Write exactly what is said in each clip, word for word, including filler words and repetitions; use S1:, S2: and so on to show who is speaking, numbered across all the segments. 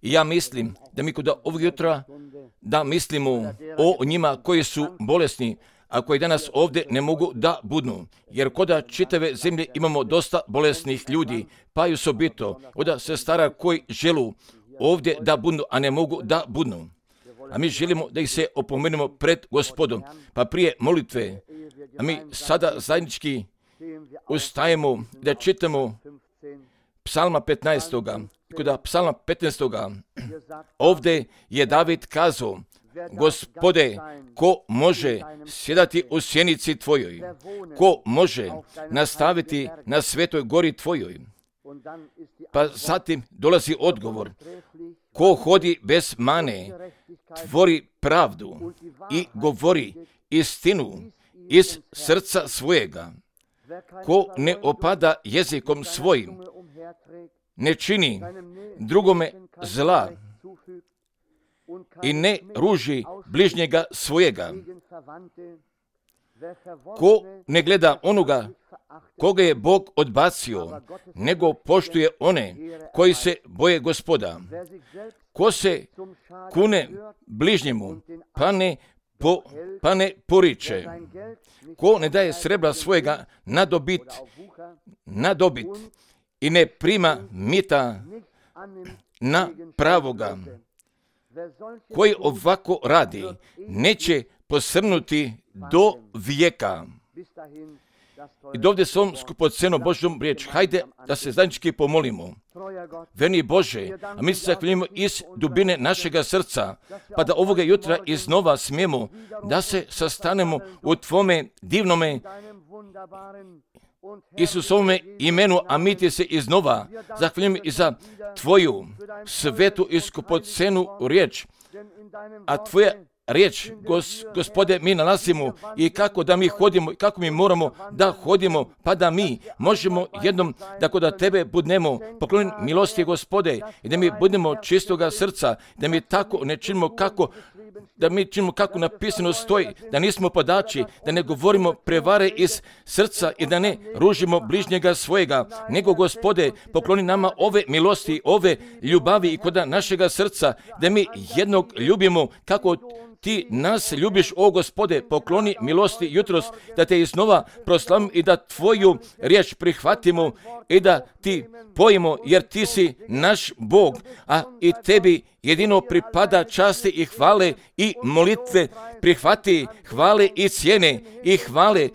S1: I ja mislim da mi kod ovog jutra da mislimo o njima koji su bolesni, a koji danas ovdje ne mogu da budnu. Jer koda čitave zemlje imamo dosta bolesnih ljudi, pa i osobito od sestara koji želu ovdje da budnu, a ne mogu da budnu. A mi želimo da ih se opomenemo pred Gospodom. Pa prije molitve, a mi sada zajednički ustajemo da čitamo Psalma petnaestoga. Kod Psalma petnaestoga ovdje je David kazao: Gospode, ko može sjedati u sjenici Tvojoj? Ko može nastaviti na svetoj gori Tvojoj? Pa zatim dolazi odgovor: ko hodi bez mane, tvori pravdu i govori istinu iz srca svojega. Ko ne opada jezikom svojim, ne čini drugome zla i ne ruži bližnjega svojega. Ko ne gleda onoga koga je Bog odbacio, nego poštuje one koji se boje Gospoda. Ko se kune bližnjemu, pa ne, po, pa ne poriče. Ko ne daje srebra svojega na dobit, na dobit i ne prima mita na pravoga. Koji ovako radi, neće posrnuti do vijeka. I dovde s ovom skupocenom Božjom riječ, hajde da se zajednički pomolimo. Verni Bože, a mi se zahvaljujemo iz dubine našega srca, pa da ovoga jutra iznova smijemo da se sastanemo u Tvome divnome Isusovome imenu, a mi ti se iznova zahvaljujemo i za Tvoju svetu i skupocenu riječ. A Tvoja riječ, gos, Gospode, mi nalazimo i kako da mi hodimo, kako mi moramo da hodimo, pa da mi možemo jednom da kod Tebe budnemo poklonjeni milosti, Gospode, i da mi budemo čistoga srca, da mi tako ne činimo kako da mi činimo kako napisano stoji, da nismo podači, da ne govorimo prevare iz srca i da ne ružimo bližnjega svojega, nego, Gospode, pokloni nama ove milosti, ove ljubavi i kod našega srca, da mi jednog ljubimo kako Ti nas ljubiš, o Gospode, pokloni milosti jutros, da Te iznova proslavimo i da Tvoju riječ prihvatimo i da Ti pojimo, jer Ti si naš Bog, a i Tebi jedino pripada časti i hvale i molitve. Prihvati hvale i cijene i hvale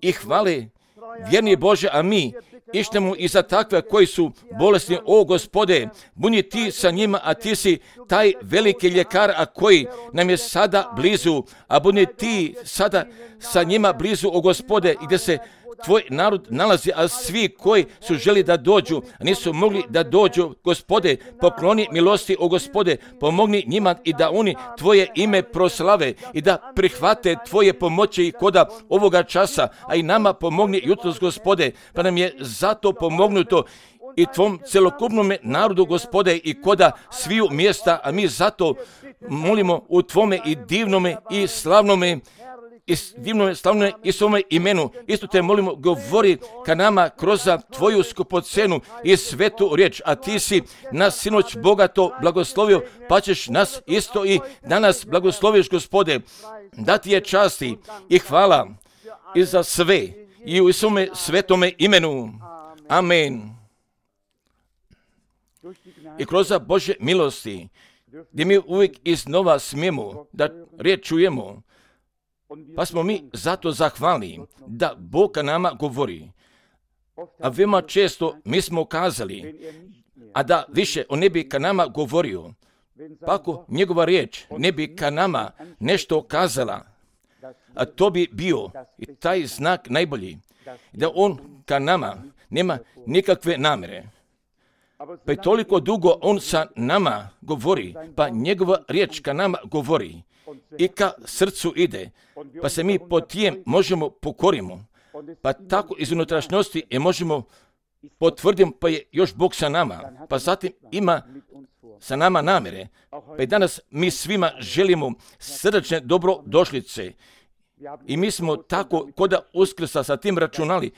S1: i hvale, vjerni Bože, a mi ištemo i za takve koji su bolesni, o Gospode, budi Ti sa njima, a Ti si taj veliki ljekar, a koji nam je sada blizu, a budi Ti sada sa njima blizu, o Gospode, i gdje se Tvoj narod nalazi, a svi koji su želi da dođu, a nisu mogli da dođu, Gospode, pokloni milosti, o Gospode, pomogni njima i da oni Tvoje ime proslave i da prihvate Tvoje pomoći i koda ovoga časa, a i nama pomogni jutros, Gospode, pa nam je zato pomognuto i Tvom celokupnom narodu, Gospode, i koda sviju mjesta, a mi zato molimo u Tvome i divnome i slavnome i divnome, slavnome i svome imenu. Isto Te molimo, govori ka nama kroz Tvoju skupocenu i svetu riječ, a Ti si nas sinoć bogato blagoslovio, pa ćeš nas isto i danas blagosloviš, Gospode. Da Ti je časti i hvala i za sve i u svome svetome imenu. Amen. I kroz Božje milosti, gdje mi uvijek iznova smijemo da riječ čujemo, pa smo mi zato zahvalni da Bog ka nama govori. A veoma često mi smo kazali, a da više on ne bi ka nama govorio, pa ako njegova riječ ne bi ka nama nešto kazala, a to bi bio i taj znak najbolji, da on ka nama nema nikakve namere. Pa i toliko dugo on sa nama govori, pa njegova riječ ka nama govori i ka srcu ide, pa se mi po tijem možemo pokorimo, pa tako iz unutrašnjosti je možemo potvrditi, pa je još Bog sa nama, pa zatim ima sa nama namere, pa i danas mi svima želimo srdačne dobrodošlice I mi smo tako koda Uskrsa sa tim računali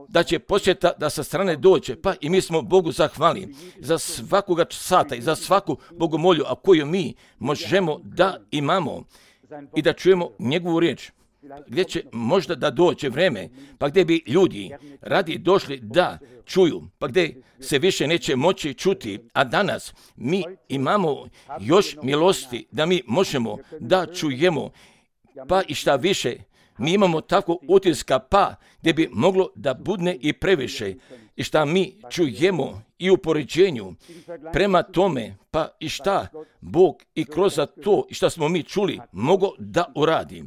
S1: da će posjeta da sa strane dođe, pa i mi smo Bogu zahvali za svakoga sata i za svaku bogomolju, a koju mi možemo da imamo i da čujemo njegovu riječ. Gdje će možda da dođe vreme, pa gdje bi ljudi radi došli da čuju, pa gdje se više neće moći čuti, a danas mi imamo još milosti da mi možemo da čujemo, pa i šta više, mi imamo tako utiska, pa gdje bi moglo da budne i previše, i šta mi čujemo i u poređenju prema tome, pa i šta Bog i kroz to i šta smo mi čuli mogo da uradi.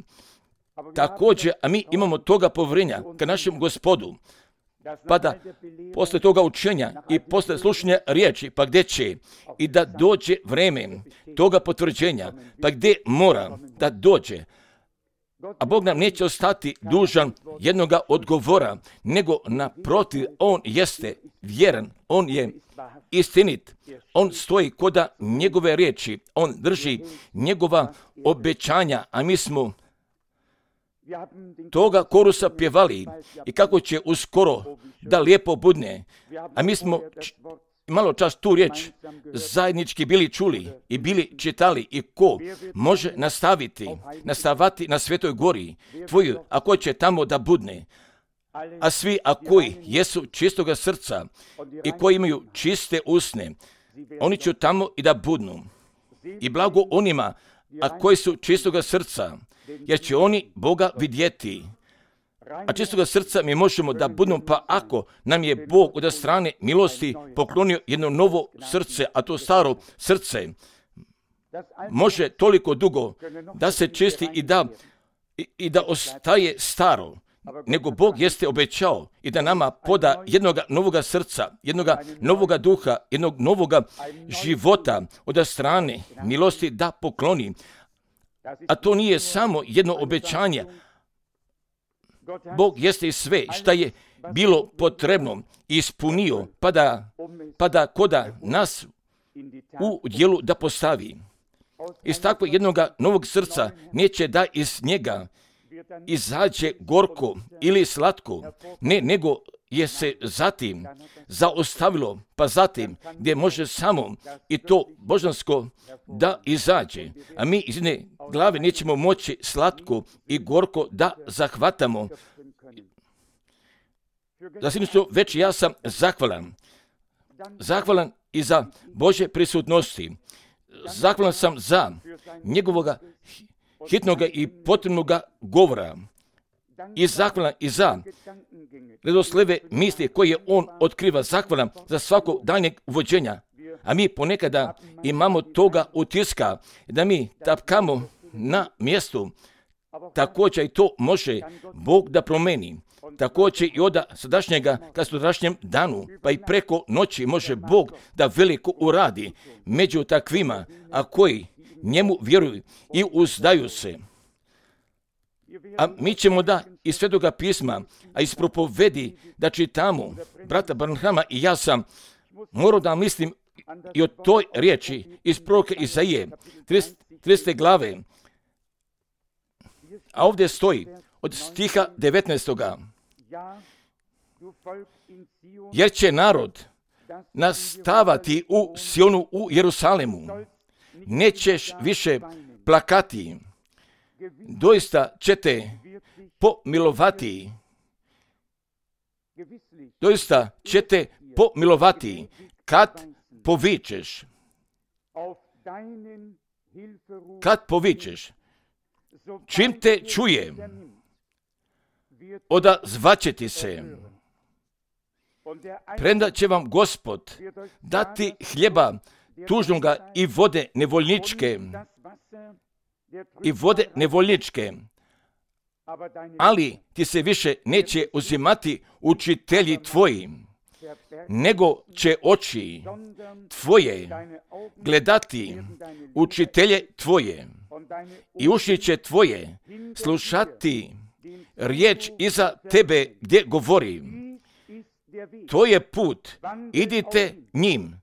S1: Također, a mi imamo toga povjerenja ka našem Gospodu, pa da posle toga učenja i posle slušanja riječi, pa gdje će i da dođe vreme toga potvrđenja, pa gdje mora da dođe, a Bog nam neće ostati dužan jednoga odgovora, nego naprotiv, On jeste vjeran, On je istinit, On stoji koda njegove riječi, On drži njegova obećanja, a mi smo toga korusa pjevali i kako će uskoro da lijepo budne, a mi smo č- malo čas tu riječ zajednički bili čuli i bili čitali i ko može nastaviti, nastavati na Svetoj gori tvoju, a ko će tamo da budne, a svi a koji jesu čistoga srca i koji imaju čiste usne, oni će tamo i da budnu. I blago onima, a koji su čistoga srca, jer će oni Boga vidjeti. A čistoga srca mi možemo da budemo, pa ako nam je Bog od strane milosti poklonio jedno novo srce, a to staro srce može toliko dugo da se čisti i da, i, i da ostaje staro, nego Bog jeste obećao i da nama poda jednoga novoga srca, jednoga novoga duha, jednog novoga života od strane milosti da pokloni. A to nije samo jedno obećanje. Bog jeste i sve šta je bilo potrebno ispunio, pa da, pa da koda nas u djelu da postavi. Iz takvog jednog novog srca neće da iz njega izađe gorko ili slatko, ne, nego je se zatim zaostavilo, pa zatim gdje može samo i to božansko da izađe. A mi iz jedne glave nećemo moći slatko i gorko da zahvatamo. Zasigurno već ja sam zahvalan. Zahvalan i za Božje prisutnosti. Zahvalan sam za njegovoga hitnoga i potrebnoga govora. I zahvalan i za redosleve misli koje on otkriva. Zahvalan za svako daljnjeg uvođenja. A mi ponekada imamo toga utiska da mi tapkamo na mjestu. Također i to može Bog da promeni. Također i od sadašnjega ka sutrašnjem danu, pa i preko noći može Bog da veliko uradi među takvima, a koji njemu vjeruju i uzdaju se. A mi ćemo da iz Svetoga pisma, a iz propovedi da čitamo brata Branhama i ja sam morao da mislim i o toj riječi iz proroka Izaije, tridesete glave. A ovdje stoji od stiha devetnaestog. Jer će narod nastavati u Sionu u Jerusalemu. Nećeš više plakati. Doista ćete pomilovati. Doista ćete pomilovati kad povičeš. Kad povičeš. Čim te čuje, odazvaće ti se. Premda će vam Gospod dati hljeba tužnoga i vode nevoljničke, i vode nevoljničke, ali ti se više neće uzimati učitelji tvoji, nego će oči tvoje gledati učitelje tvoje i uši će tvoje slušati riječ iza tebe gdje govori. To je put, idite njim.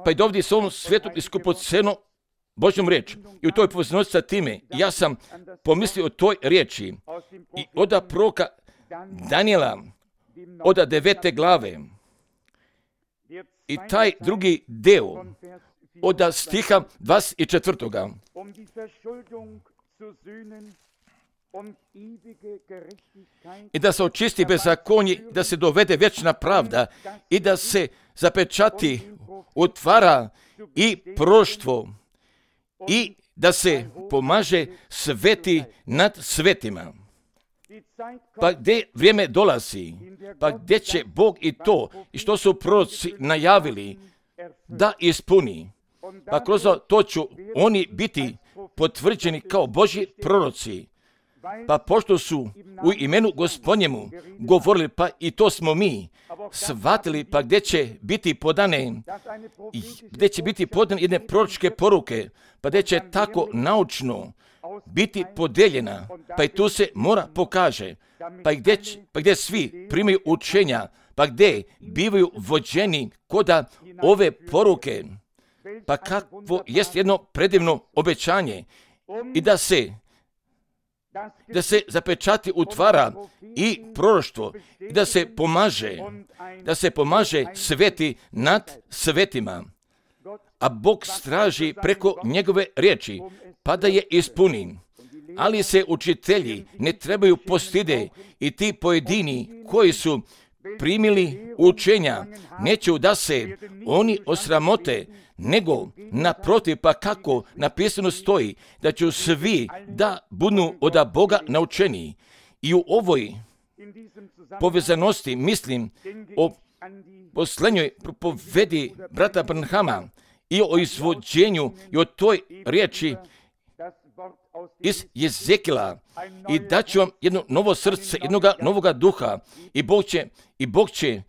S1: Pa i dovdje s ovom svetom i skupocenu Božjom riječi. I u toj povezanosti sa time ja sam pomislio o toj riječi i od proroka Danijela od devete glave i taj drugi deo od stiha dvadeset četvrtoga. I da se očisti bezakonje, da se dovede vječna pravda i da se zapečati, otvara i proroštvo i da se pomaže sveti nad svetima. Pa gdje vrijeme dolazi, pa gdje će Bog i to, i što su proroci najavili, da ispuni. Pa kroz to ću oni biti potvrđeni kao Božji proroci. Pa pošto su u imenu Gospodnjemu govorili, pa i to smo mi shvatili, pa gdje će biti podane, gdje će biti podane jedne proročke poruke, pa gdje će tako naučno biti podeljena, pa i tu se mora pokaže, pa gdje, pa gdje svi primaju učenja, pa gdje bivaju vođeni koda ove poruke, pa kakvo jest jedno predivno obećanje i da se da se zapečati utvara i proroštvo, i da se pomaže, da se pomaže sveti nad svetima, a Bog straži preko njegove riječi, pa da je ispuni. Ali se učitelji ne trebaju postide i ti pojedini koji su primili učenja, neće da se oni osramote, nego naprotiv, pa kako napisano stoji, da će svi da budu od Boga naučeni. I u ovoj povezanosti mislim o posljednjoj propovedi brata Branhama i o izvođenju i o toj riječi iz Jezekila, i daću vam jedno novo srce, jednoga novoga duha, i Bog će, i Bog će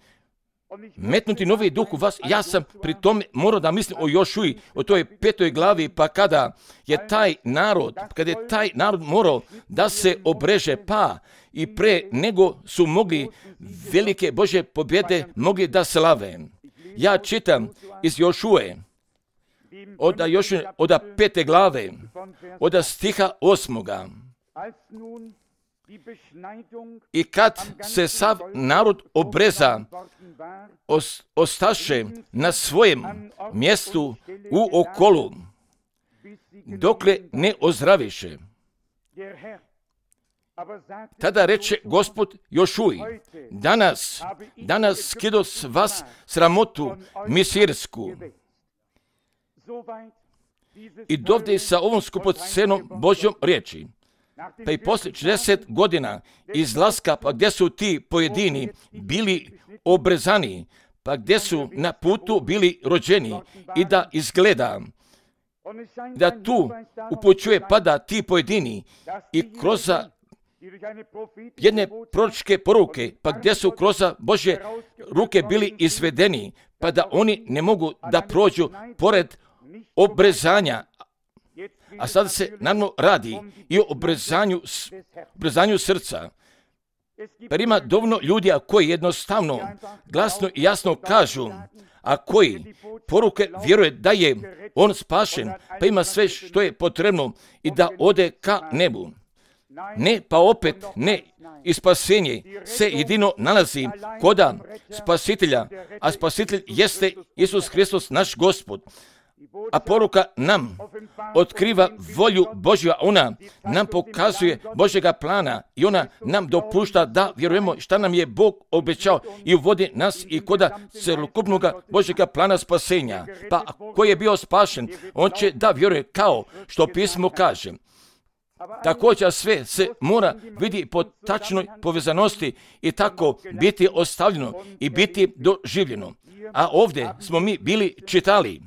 S1: metnuti novi duh u vas. Ja sam pri tome morao da mislim o Jošuji, o toj petoj glavi, pa kada je taj narod, kada je taj narod morao da se obreže, pa i pre nego su mogli velike Božje pobjede mogli da slave. Ja čitam iz Jošuje, od Jošuje, od pete glave, od stiha osmoga. I kad se sav narod obreza, os, ostaše na svojem mjestu u okolu, dokle ne ozdraviše. Tada reče Gospod Jošuji, danas, danas skido s vas sramotu misirsku. I dovde sa ovom skupocenom Božjom riječi. Pa i poslije četrdeset godina izlaska, pa gdje su ti pojedini bili obrezani, pa gdje su na putu bili rođeni, i da izgleda da tu upućuje pada ti pojedini i kroz jedne proročke poruke, pa gdje su kroz Božje ruke bili izvedeni, pa da oni ne mogu da prođu pored obrezanja. A sada se naravno radi i o obrezanju, obrezanju srca. Pa ima dovoljno ljudi koji jednostavno, glasno i jasno kažu, a koji poruke vjeruje da je on spašen, pa ima sve što je potrebno i da ode ka nebu. Ne, pa opet ne, i spasenje se jedino nalazi koda spasitelja, a spasitelj jeste Isus Hristos, naš Gospod. A poruka nam otkriva volju Božju, ona nam pokazuje Božjega plana i ona nam dopušta da vjerujemo šta nam je Bog obećao i uvodi nas i koda celokupnog Božjega plana spasenja. Pa ko je bio spašen, on će da vjeruje kao što pismo kaže. Također sve se mora vidjeti po tačnoj povezanosti i tako biti ostavljeno i biti doživljeno. A ovdje smo mi bili čitali.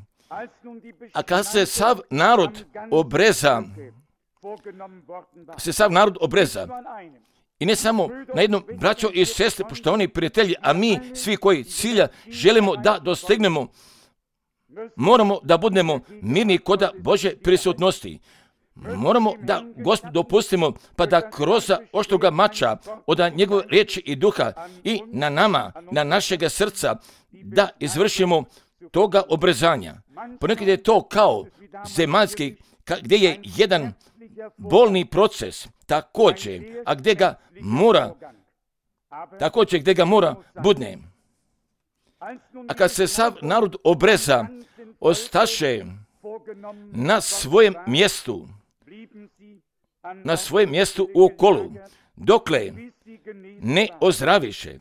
S1: A kad se sav narod obreza, se sav narod obreza, i ne samo na jednom braćo i sestre, poštovani prijatelji, a mi svi koji cilja želimo da dostignemo, moramo da budemo mirni koda Božje prisutnosti. Moramo da Gospod dopustimo, pa da kroz oštroga mača od njegove riječi i duha i na nama, na našega srca, da izvršimo toga obrezanja. ponekad je to kao zemaljski, gdje je jedan bolni proces, također, a gdje ga mora, također gdje ga mora budne. A kad se sav narod obreza, ostaše na svojem mjestu, na svojem mjestu u okolu, dokle ne ozdraviše.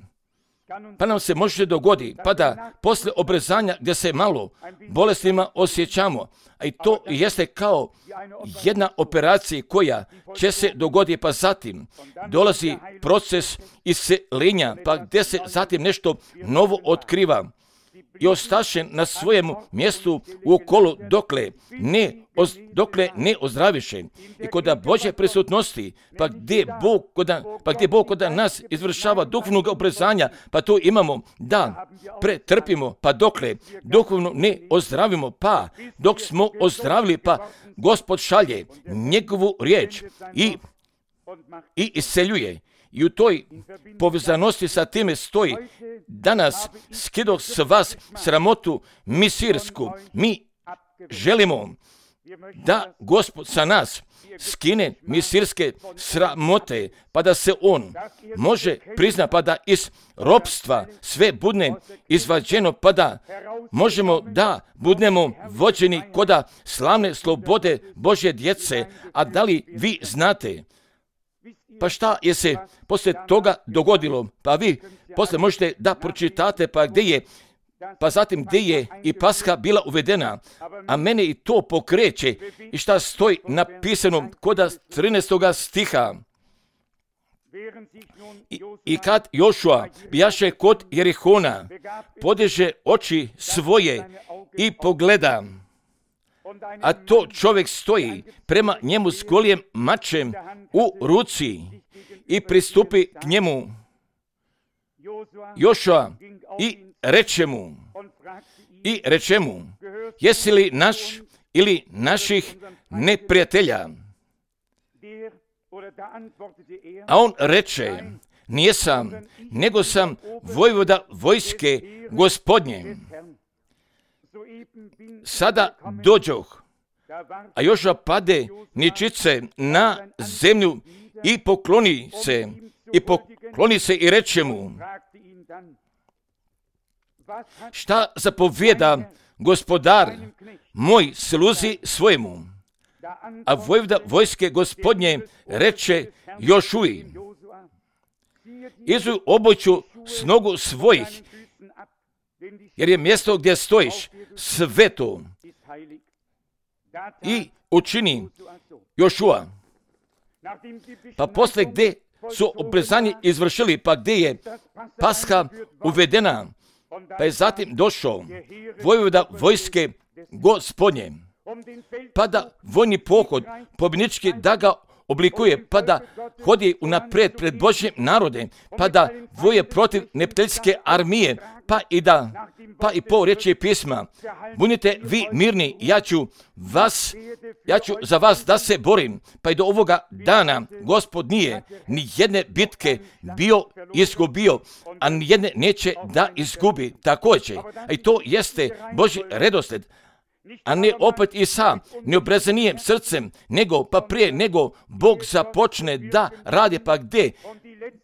S1: Pa nam se može dogoditi, pa da posle obrezanja gdje se malo bolestima osjećamo, a i to jeste kao jedna operacija koja će se dogoditi, pa zatim dolazi proces isceljenja, pa gdje se zatim nešto novo otkriva i ostaše na svojem mjestu u okolu dokle ne, oz, dokle ne ozdraviše. I kod Božje prisutnosti, pa gdje Bog koda, pa gdje Bog koda nas izvršava duhovnog obrezanja, pa to imamo da pretrpimo, pa dokle duhovno ne ozdravimo, pa dok smo ozdravili, pa Gospod šalje njegovu riječ i, i isceljuje. I u toj povezanosti sa time stoji, danas skidoh s vas sramotu misirsku. Mi želimo da Gospod sa nas skine misirske sramote, pa da se on može prizna, pa da iz ropstva sve budne izvađeno, pa da možemo da budemo vođeni koda slavne slobode Božje djece. A da li vi znate? Pa šta je se poslije toga dogodilo? Pa vi poslije možete da pročitate, pa gdje je, pa zatim gdje je i Paska bila uvedena, a mene i to pokreće i šta stoji napisano koda trinaestoga stiha. I, i kad Jošua bijaše kod Jerihona, podiže oči svoje i pogleda, a to čovjek stoji prema njemu s golijem mačem u ruci i pristupi k njemu Jošua i reče mu, i reče mu, jesi li naš ili naših neprijatelja? A on reče, nijesam, nego sam vojvoda vojske Gospodnje. Sada dođoh, a Jošua pade ničice na zemlju i pokloni se, i pokloni se i reče mu, šta zapovjeda gospodar moj sluzi svojemu? A vojvoda vojske Gospodnje reče Jošuji, izuj obuću s nogu svojih, jer je mjesto gdje stojiš sveto. I učini Jošua. Pa posle gdje su obrezanje izvršili, pa gdje je Paska uvedena, pa je zatim došao vojvoda vojske Gospodnje, pa da vojni pohod pobjednički da ga oblikuje, pa da hodi unaprijed pred Božjim narodem, pa da voje protiv neprijateljske armije, pa i da, pa i po riječi pisma, budite vi mirni, ja ću vas, ja ću za vas da se borim, pa i do ovoga dana Gospod nije ni jedne bitke bio izgubio, a ni jedne neće da izgubi također. A i to jeste Božji redosled, a ne opet i sa neobrezanijem srcem, nego pa prije nego Bog započne da radi, pa gdje,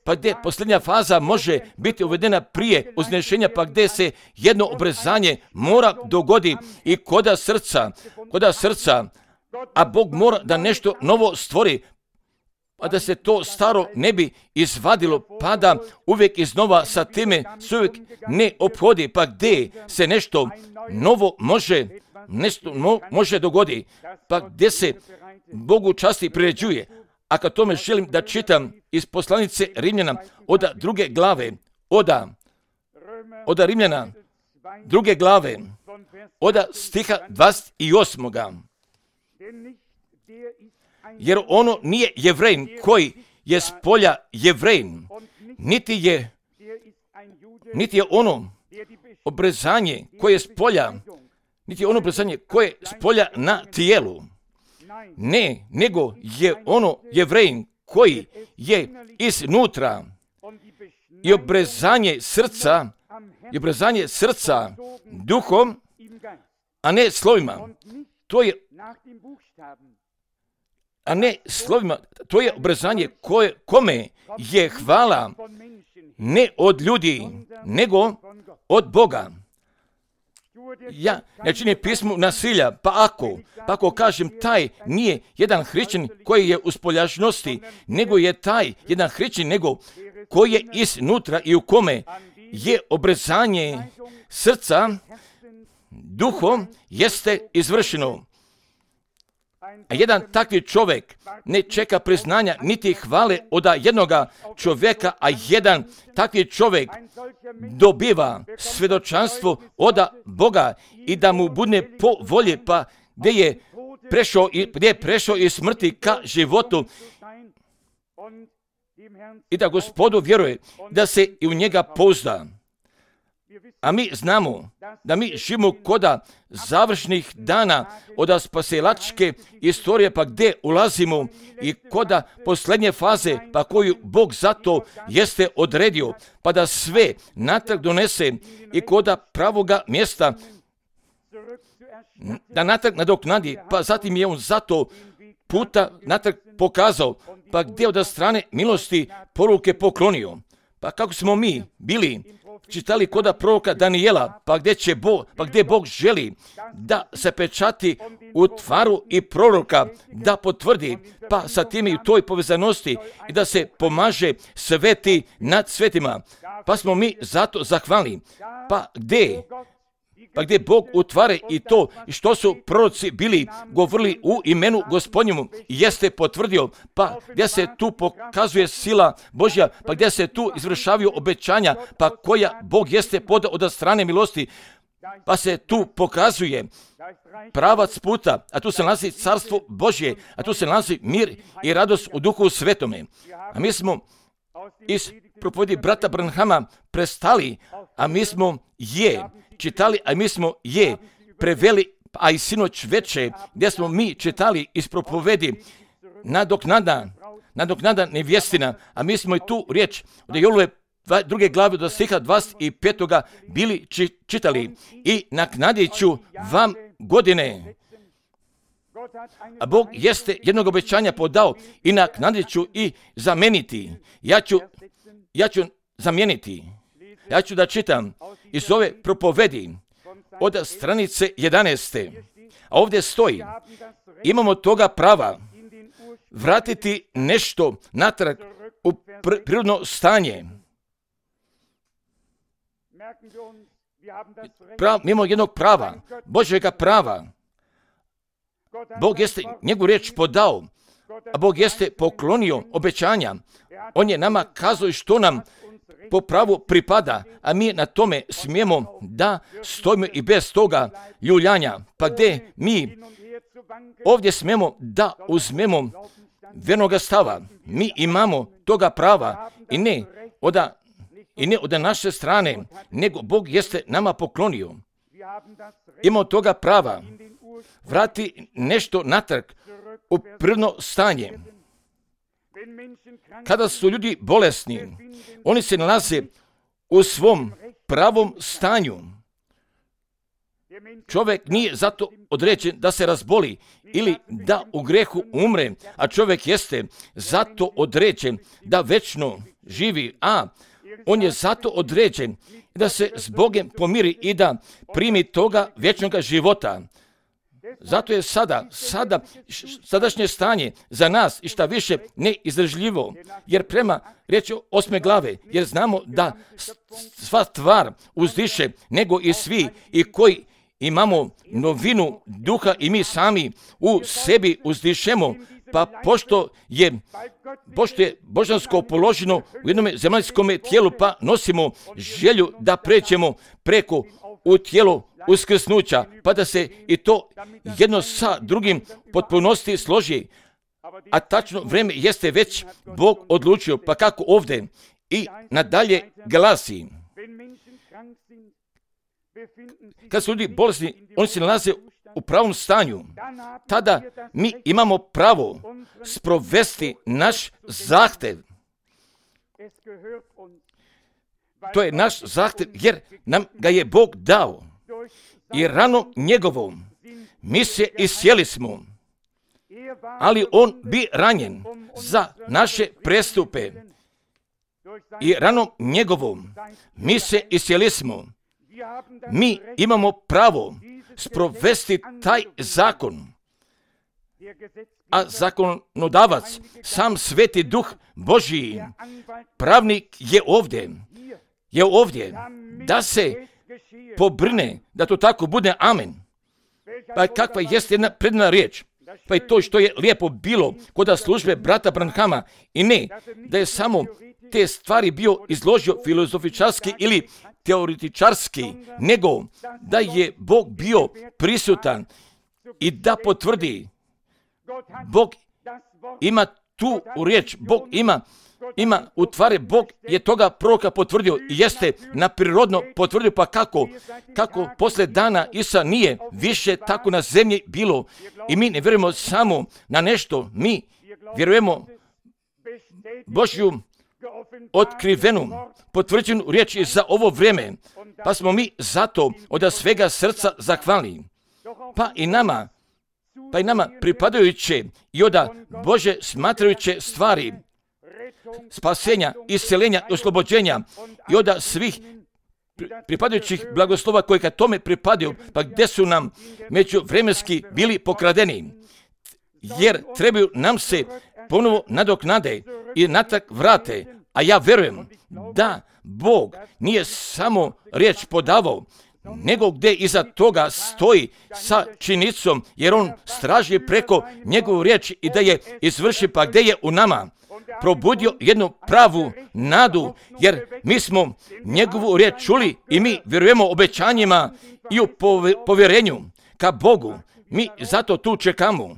S1: pa gdje posljednja faza može biti uvedena prije uznešenja, pa gdje se jedno obrezanje mora dogodi i koda srca, koda srca, a Bog mora da nešto novo stvori, a da se to staro ne bi izvadilo, pa da uvijek iznova sa time se uvijek ne ophodi, pa gdje se nešto novo može nešto no, može dogodi, pa gdje se Bogu časti priređuje. A kad tome želim da čitam iz poslanice Rimljana, oda druge glave, oda, oda Rimljana, druge glave, oda stiha dvadeset osam. Jer ono nije Jevrejin koji je s polja Jevrejin, niti je, niti je ono obrezanje koje je s polja, niti je ono obrezanje koje je s polja na tijelu. Ne, nego je ono Jevrejin koji je iznutra i obrezanje srca, i obrezanje srca duhom a ne slovima. To je, a ne slovima, to je obrazanje koje, kome je hvala ne od ljudi, nego od Boga. Ja ne činim pismu nasilja, pa ako, pa ako kažem taj nije jedan hrišćanin koji je u spoljašnosti, nego je taj jedan hrišćanin nego koji je iznutra i u kome je obrezanje srca duhom jeste izvršeno. A jedan takvi čovjek ne čeka priznanja niti hvale od jednoga čovjeka, a jedan takvi čovjek dobiva svjedočanstvo od Boga i da mu bude po volji, pa gdje je prešao, gdje je prešao iz smrti ka životu i da Gospodu vjeruje, da se i u njega pouzda. A mi znamo da mi živimo koda završnih dana od spasilačke istorije, pa gdje ulazimo i koda posljednje faze, pa koju Bog zato jeste odredio, pa da sve natrag donese i koda pravoga mjesta da natrag nadoknadi, pa zatim je on zato puta natrag pokazao, pa gdje od strane milosti poruke poklonio. Pa kako smo mi bili čitali koda proroka Danijela, pa gdje će Bog, pa gdje Bog želi da se pečati u tvaru i proroka, da potvrdi, pa sa tim i u toj povezanosti i da se pomaže sveti nad svetima. Pa smo mi zato zahvalni. Pa gdje? Pa gdje Bog utvare i to što su proroci bili govorili u imenu Gospodnjemu jeste potvrdio, pa gdje se tu pokazuje sila Božja, pa gdje se tu izvršavaju obećanja, pa koja Bog jeste pod od strane milosti, pa se tu pokazuje pravac puta, a tu se nalazi carstvo Božje, a tu se nalazi mir i radost u duhu svetome. A mi smo iz propovedi brata Branhama prestali, a mi smo je čitali, a mi smo je preveli, a i sinoć veče, gdje smo mi čitali iz propovedi nadoknada, nadoknada nevjestina, a mi smo i tu riječ od Jolove druge glave do stiha dvadeset petoga bili či, čitali i naknadit ću vam godine. A Bog jeste jednog obećanja podao i naknadit ću i zameniti. Ja ću, ja ću zamijeniti. Ja ću da čitam iz ove propovedi od stranice jedanaeste. A ovdje stoji, imamo toga prava vratiti nešto natrag u pr- prirodno stanje. Prav, mimo jednog prava, Božjega prava. Bog jeste njegovu riječ podao, a Bog jeste poklonio obećanja. On je nama kazao što nam po pravu pripada, a mi na tome smijemo da stojimo i bez toga ljuljanja. Pa gdje mi ovdje smijemo da uzmemo vernoga stava. Mi imamo toga prava i ne od, i ne od naše strane, nego Bog jeste nama poklonio. Imamo toga prava vrati nešto natrag u prirodno stanje. Kada su ljudi bolesni, oni se nalaze u svom pravom stanju. Čovjek nije zato određen da se razboli ili da u grehu umre, a čovjek jeste zato određen da večno živi, a on je zato određen da se s Bogom pomiri i da primi toga vječnog života. Zato je sada, sada, sadašnje stanje za nas i šta više neizdržljivo, jer prema riječi osme glave, jer znamo da sva stvar uzdiše, nego i svi i koji imamo novinu duha i mi sami u sebi uzdišemo, pa pošto je, pošto je božansko položeno u jednom zemaljskom tijelu, pa nosimo želju da pređemo preko u tijelo uskrsnuća, pa da se i to jedno sa drugim potpunosti složi. A tačno vrijeme jeste već Bog odlučio, pa kako ovdje i nadalje glasi. Kad su ljudi bolesni, oni se nalaze u pravom stanju. Tada mi imamo pravo sprovesti naš zahtjev. To je naš zahtjev jer nam ga je Bog dao. i ranom njegovom mi se iscijeli smo, ali on bi ranjen za naše prestupe i ranom njegovom mi se iscijeli smo. Mi imamo pravo sprovesti taj zakon, a zakonodavac, sam Sveti Duh Božji, pravnik je ovdje, je ovdje da se pobrine da to tako bude. Amen. Pa kakva jeste jedna predna riječ, pa i to što je lijepo bilo kod službe brata Branhama, i ne da je samo te stvari bio izložio filozofičarski ili teoretičarski, nego da je Bog bio prisutan i da potvrdi. Bog ima tu riječ, Bog ima, ima utvare, Bog je toga proroka potvrdio i jeste naprirodno potvrdio. Pa kako? Kako posle dana Isa nije više tako na zemlji bilo, i mi ne vjerujemo samo na nešto, mi vjerujemo Božju otkrivenu, potvrđenu riječ za ovo vrijeme, pa smo mi zato od svega srca zahvalni. Pa i nama, pa i nama pripadajuće i od Bože smatrajuće stvari, spasenja, isceljenja i oslobođenja i od svih pripadajućih blagoslova koji kad tome pripadaju, pa gdje su nam međuvremenski bili pokradeni, jer trebaju nam se ponovo nadoknade i natrag vrate. A ja vjerujem da Bog nije samo riječ podavao, nego gdje iza toga stoji sa činjenicom, jer on straži preko njegovu riječ i da je izvrši, pa gdje je u nama probudio jednu pravu nadu, jer mi smo njegovu riječ čuli i mi vjerujemo obećanjima i u povjerenju ka Bogu. Mi zato tu čekamo.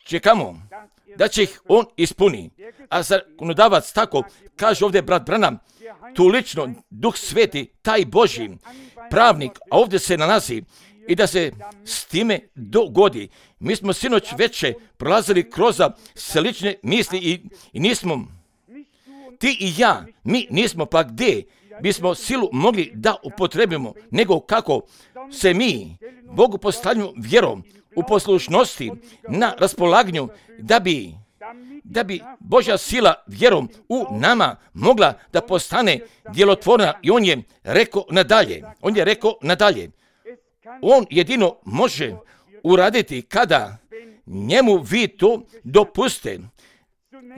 S1: Čekamo da će ih on ispuni. A zakonodavac tako, kaže ovdje brat Branham, tu lično Duh Sveti, taj Božji pravnik, a ovdje se nalazi, i da se s time dogodi. Mi smo sinoć veće prolazili kroz slične misli i, i nismo, ti i ja, mi nismo, pa gdje bismo silu mogli da upotrebimo, nego kako se mi Bogu postavljamo vjerom u poslušnosti na raspolaganju, da bi da bi Božja sila vjerom u nama mogla da postane djelotvorna. I on je rekao nadalje, on je rekao nadalje, on jedino može uraditi kada njemu vi to dopuste.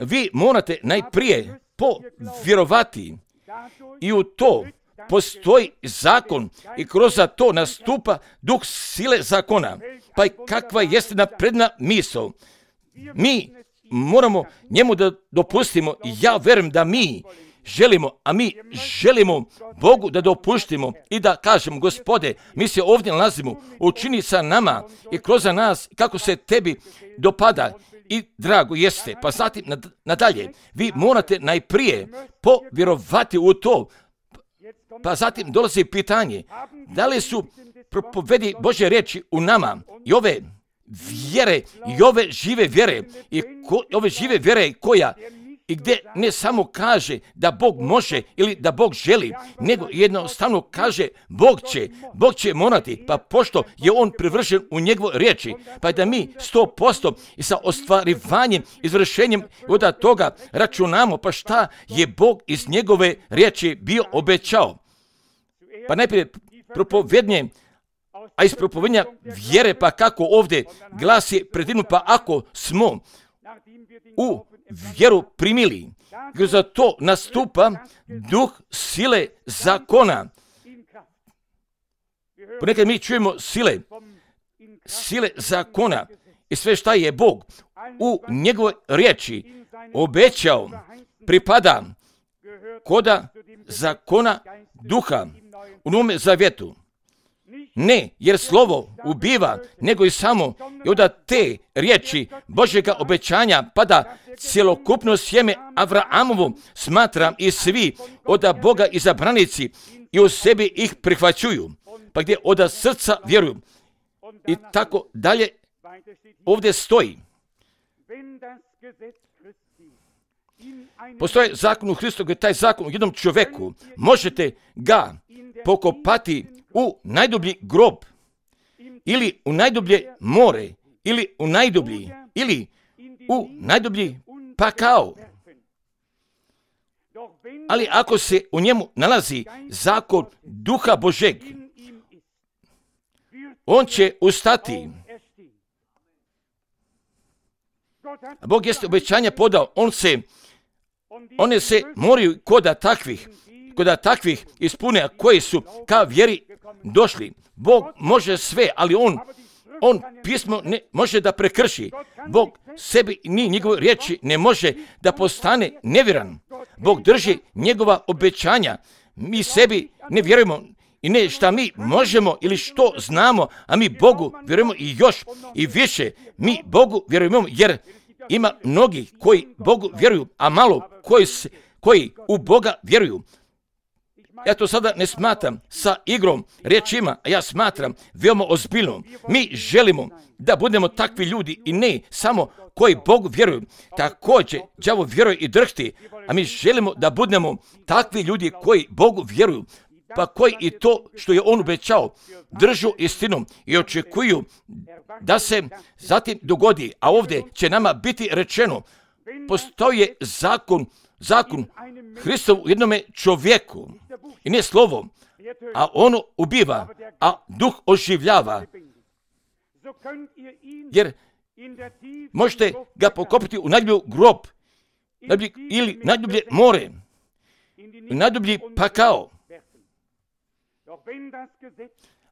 S1: Vi morate najprije povjerovati i u to postoji zakon i kroz to nastupa duh sile zakona. Pa i kakva jeste napredna misao. Mi moramo njemu da dopustimo. Ja vjerujem da mi želimo, a mi želimo Bogu da dopuštimo i da kažemo, Gospode, mi se ovdje nalazimo, učini sa nama i kroz nas kako se tebi dopada i drago jeste. Pa zatim nadalje, vi morate najprije povjerovati u to. Pa zatim dolazi pitanje, da li su propovedi Božje riječi u nama i ove vjere i ove žive vjere i ko, ove žive vjere koja i gdje ne samo kaže da Bog može ili da Bog želi, nego jednostavno kaže Bog će, Bog će morati, pa pošto je on privršen u njegovoj riječi, pa da mi sto posto i sa ostvarivanjem, izvršenjem od toga računamo, pa šta je Bog iz njegove riječi bio obećao. Pa najprije propovednje, a iz propovednja vjere, pa kako ovdje glasi predivno, pa ako smo u vjeru primili, za to nastupa duh sile zakona. Ponekad mi čujemo sile, sile zakona i sve šta je Bog u njegovoj riječi obećao pripada koda zakona duha u Novome Zavjetu. Ne, jer slovo ubiva, nego i samo i od te riječi Božjega obećanja pada cjelokupno sjeme Avraamovo, smatram i svi od Boga izabranici i u sebi ih prihvaćuju, pa gdje od srca vjeruju. I tako dalje ovdje stoji. Postoje zakon u Hristu, gdje taj zakon u jednom čovjeku možete ga pokopati u najdublji grob, ili u najdublje more, ili u najdublji, ili u najdublji pakao. Ali ako se u njemu nalazi zakon Duha Božeg, on će ustati. Bog jeste obećanja podao, on se, one se moraju koda takvih, koda takvih ispune, koji su ka vjeri došli. Bog može sve, ali on, on pismo ne može da prekrši. Bog sebi ni njegove riječi ne može da postane nevjeran. Bog drži njegova obećanja. Mi sebi ne vjerujemo i ne šta mi možemo ili što znamo, a mi Bogu vjerujemo i još i više. Mi Bogu vjerujemo jer ima mnogi koji Bogu vjeruju, a malo koji, se, koji u Boga vjeruju. Ja to sada ne smatram sa igrom riječima, a ja smatram veoma ozbiljno. Mi želimo da budemo takvi ljudi i ne samo koji Bogu vjeruju. Također, đavo vjeruje i drhti, a mi želimo da budemo takvi ljudi koji Bogu vjeruju, pa koji i to što je on obećao držu istinom i očekuju da se zatim dogodi. A ovdje će nama biti rečeno, postoji zakon, zakon Hristov u jednome čovjeku i ne slovo, a ono ubiva, a duh oživljava. Jer možete ga pokopiti u najdublji grob ili najdublje more, u najdublji pakao.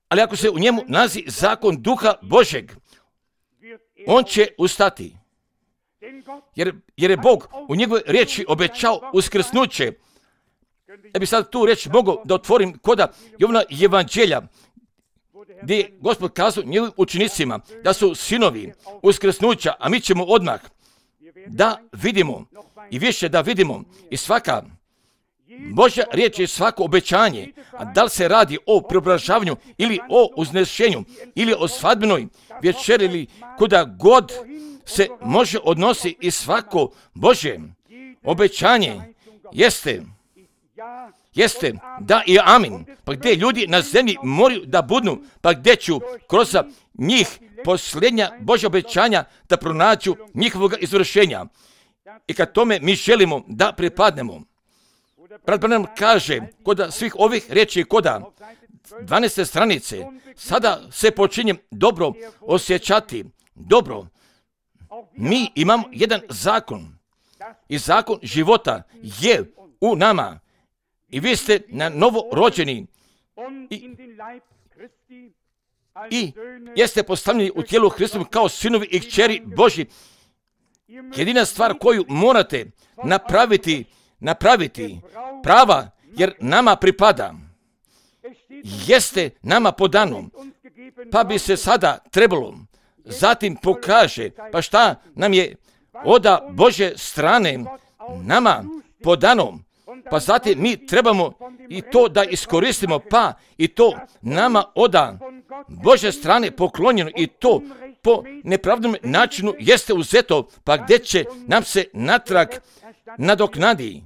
S1: Ali ako se u njemu nalazi zakon Duha Božeg, on će ustati. Jer, jer je Bog u njegovoj riječi obećao uskrsnuće. Ja bih sad tu riječ mogao da otvorim koda Jovana Evanđelja, gdje je Gospod kazao njegovim učenicima da su sinovi uskrsnuća, a mi ćemo odmah da vidimo i više da vidimo i svaka Božja riječ je svako obećanje, a da li se radi o preobražavanju ili o uznešenju ili o svadbenoj večeri ili kuda god se može odnosi i svako Božje obećanje jeste, jeste da i amin. Pa gdje ljudi na zemlji moraju da budnu, pa gdje ću kroz njih posljednja Božja obećanja da pronađu njihovog izvršenja. I kad tome mi želimo da pripadnemo. Brat Branham kaže, kod svih ovih riječi, kod dvanaeste stranice, sada se počinjem dobro osjećati, dobro. Mi imamo jedan zakon i zakon života je u nama i vi ste na novo rođeni i, i jeste postavljeni u tijelu Hristovom kao sinovi i kćeri Božji. Jedina stvar koju morate napraviti, napraviti prava, jer nama pripada, jeste nama podano, pa bi se sada trebalo zatim pokaže, pa šta nam je oda Božje strane nama podano, pa zatim mi trebamo i to da iskoristimo, pa i to nama oda Božje strane poklonjeno i to po nepravdnom načinu jeste uzeto, pa gdje će nam se natrag nadoknadi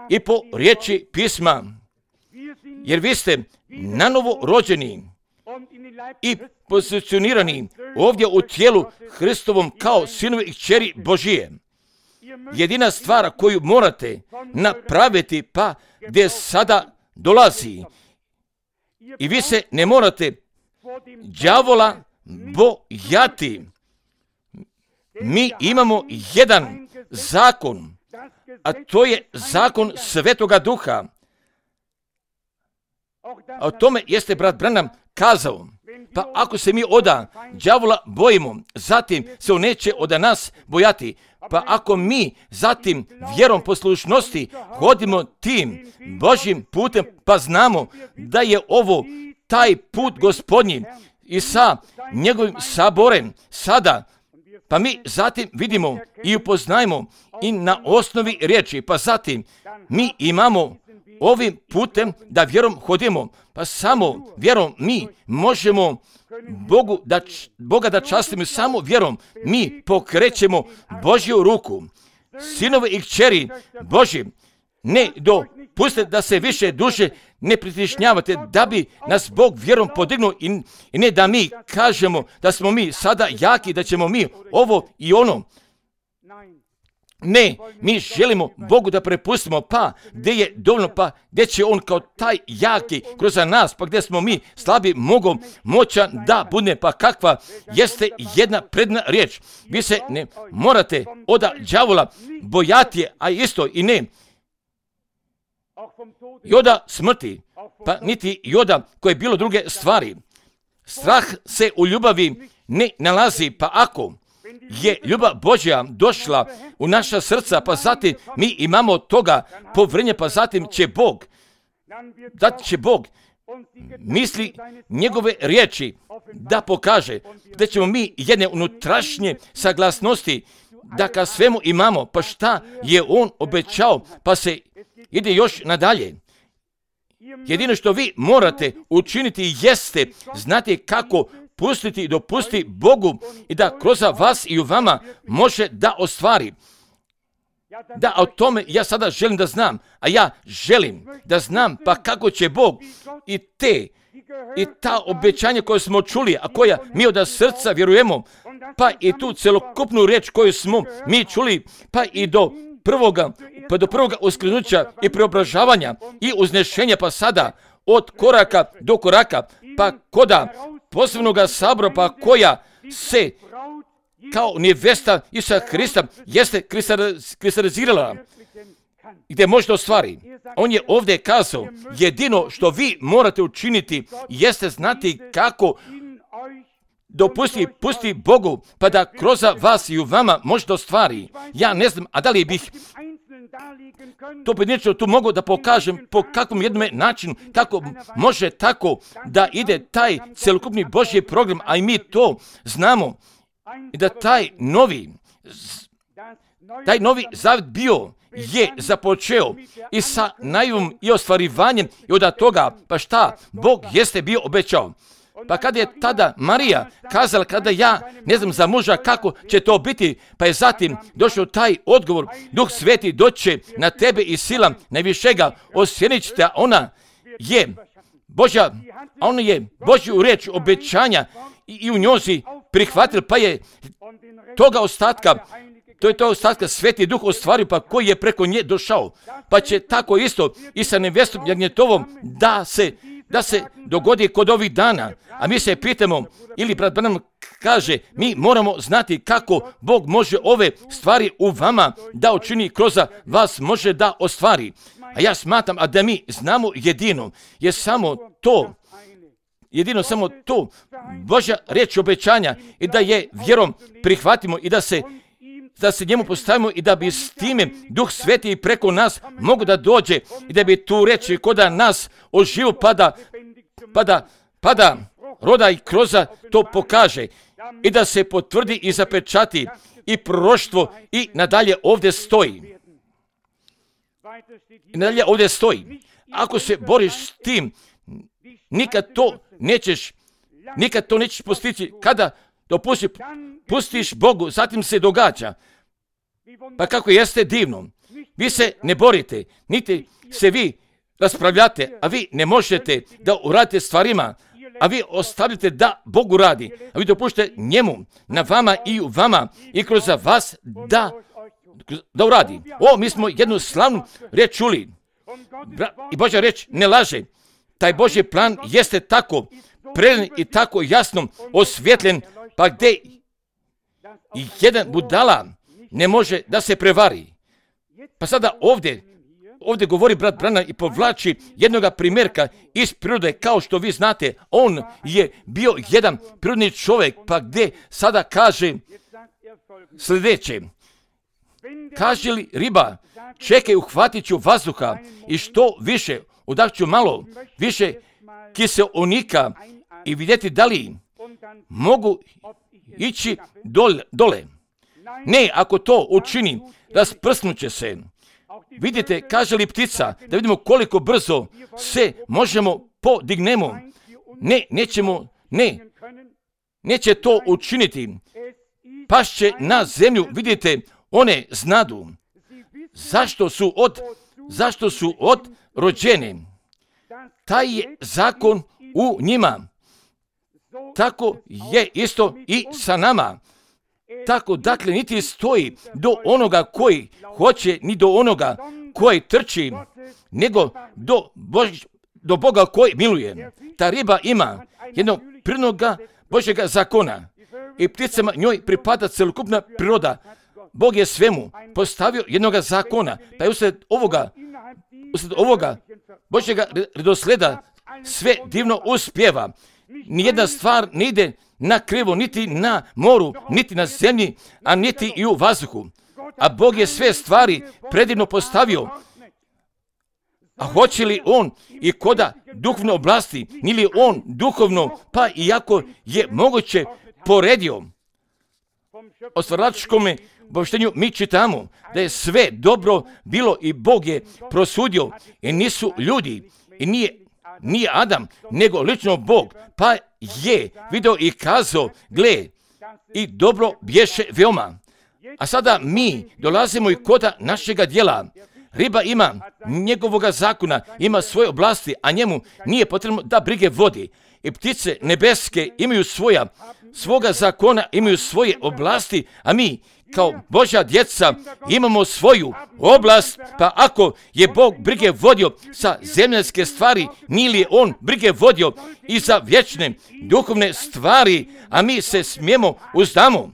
S1: i po riječi pisma, jer vi ste nanovo rođeni i pozicionirani ovdje u tijelu Hristovom kao sinovi i kćeri Božije. Jedina stvar koju morate napraviti, pa gdje sada dolazi, i vi se ne morate đavola bojati. Mi imamo jedan zakon, a to je zakon Svetoga Duha. A o tome jeste brat Branham kazao. Pa ako se mi oda đavola bojimo, zatim se on neće oda nas bojati. Pa ako mi zatim vjerom poslušnosti hodimo tim Božjim putem, pa znamo da je ovo taj put Gospodnji i sa njegovim saborem sada, pa mi zatim vidimo i upoznajemo i na osnovi riječi, pa zatim mi imamo ovim putem da vjerom hodimo, pa samo vjerom mi možemo Bogu da, Boga da častimo, samo vjerom mi pokrećemo Božju ruku. Sinovi i kćeri Božji, ne dopustite da se više duše ne pritišnjavate, da bi nas Bog vjerom podignuo i, i ne da mi kažemo da smo mi sada jaki, da ćemo mi ovo i ono. Ne, mi želimo Bogu da prepustimo, pa gdje je dovoljno, pa gdje će On kao taj jaki kroz nas, pa gdje smo mi slabi, mogu moćan da bude, pa kakva jeste jedna predna riječ. Vi se ne morate od đavola bojati, a isto i ne i od smrti, pa niti i od koje bilo druge stvari. Strah se u ljubavi ne nalazi, pa ako je ljubav Božja došla u naša srca, pa zatim mi imamo toga povrenje, pa zatim će Bog, da će Bog misli njegove riječi da pokaže, da ćemo mi jedne unutrašnje saglasnosti, da ka svemu imamo, pa šta je On obećao, pa se ide još nadalje. Jedino što vi morate učiniti jeste znati kako pustiti i dopusti Bogu i da kroz vas i u vama može da ostvari. Da, o tome ja sada želim da znam, a ja želim da znam pa kako će Bog i te i ta obećanja koje smo čuli, a koja mi od srca vjerujemo, pa i tu celokupnu riječ koju smo mi čuli, pa i do prvoga, pa do prvoga uskrenuća i preobražavanja i uznešenja, pa sada od koraka do koraka, pa koda posebnoga sabora, pa koja se kao nevesta Isusa Hrista jeste kristalizirala, gdje možete ostvari. On je ovdje kazao, jedino što vi morate učiniti jeste znati kako dopusti, pusti Bogu, pa da kroz vas i u vama možete ostvari. Ja ne znam, a da li bih to pojedinačno tu mogu da pokažem po kakvom jednom načinu, kako može tako da ide taj celokupni Božji program, a i mi to znamo. I da taj novi, taj novi zavjet bio je započeo i sa najavom i ostvarivanjem i od toga, pa šta Bog jeste bio obećao. Pa kada je tada Marija kazala, kada ja ne znam za muža kako će to biti, pa je zatim došao taj odgovor, Duh Sveti doće na tebe i sila najvišega osjenit ćete, ona je Božja, ona je Božju riječ obećanja i, i u njozi prihvatila, pa je toga ostatka, to je to ostatka Sveti Duh ostvario, pa koji je preko nje došao, pa će tako isto i sa nevestom Jagnjetovom da se da se dogodi kod ovih dana. A mi se pitamo, ili brat Branham kaže, mi moramo znati kako Bog može ove stvari u vama da učini, kroz vas može da ostvari. A ja smatram, a da mi znamo jedino, je samo to, jedino samo to, Božja riječ obećanja i da je vjerom prihvatimo i da se da se njemu postavimo i da bi s time Duh Sveti preko nas mogu da dođe i da bi tu riječ kod nas oživu pada, pada, pada roda i kroza to pokaže i da se potvrdi i zapečati i proroštvo i nadalje ovdje stoji. I nadalje ovdje stoji. Ako se boriš s tim, nikad to nećeš, nikad to nećeš postići. Kada dopusti, pustiš Bogu, zatim se događa. Pa kako jeste divno. Vi se ne borite, niti se vi raspravljate, a vi ne možete da uradite stvarima, a vi ostavite da Bogu radi, a vi dopuštate njemu na vama i u vama i kroz vas da, da uradi. O, mi smo jednu slavnu riječ čuli. I Božja riječ ne laže. Taj Božji plan jeste tako predan i tako jasno osvjetljen, pa gdje i jedan budala ne može da se prevari. Pa sada ovdje, ovdje govori brat Branham i povlači jednoga primjerka iz prirode, kao što vi znate, on je bio jedan prirodni čovjek, pa gdje sada kaže sljedeće. Kaže li riba, čekaj, uhvatit ću vazduha i što više, udahću malo, više kiseonika i vidjeti da li mogu ići dole. dole. Ne, ako to učini, rasprsnuće se. Vidite, kaže li ptica, da vidimo koliko brzo se možemo podignemo. Ne, nećemo, ne, neće to učiniti. Pašće na zemlju, vidite, one znadu. Zašto su od zašto su odrođeni. Taj je zakon u njima. Tako je isto i sa nama. Tako, dakle, niti stoji do onoga koji hoće, ni do onoga koji trči, nego do, Bož, do Boga koji miluje. Ta riba ima jednog prirodnoga Božjega zakona i pticama njoj pripada celokupna priroda. Bog je svemu postavio jednoga zakona, pa je usred ovoga, usred ovoga Božjega redosleda sve divno uspjeva. Nijedna stvar ne ide na krivo, niti na moru, niti na zemlji, a niti i u vazduhu. A Bog je sve stvari predivno postavio. A hoće li on i koda duhovne oblasti, nili on duhovno, pa iako je moguće poredio. O stvaralačkome obavještenju mi čitamo da je sve dobro bilo i Bog je prosudio i nisu ljudi i nije, nije Adam, nego lično Bog, pa je video i kazao, gle, i dobro bješe veoma. A sada mi dolazimo i koda našega djela. Riba ima njegovoga zakona, ima svoje oblasti, a njemu nije potrebno da brige vodi. I ptice nebeske imaju svoja, svoga zakona, imaju svoje oblasti, a mi kao Božja djeca imamo svoju oblast, pa ako je Bog brige vodio sa zemljanske stvari, nije li on brige vodio i za vječne duhovne stvari, a mi se smijemo uzdamo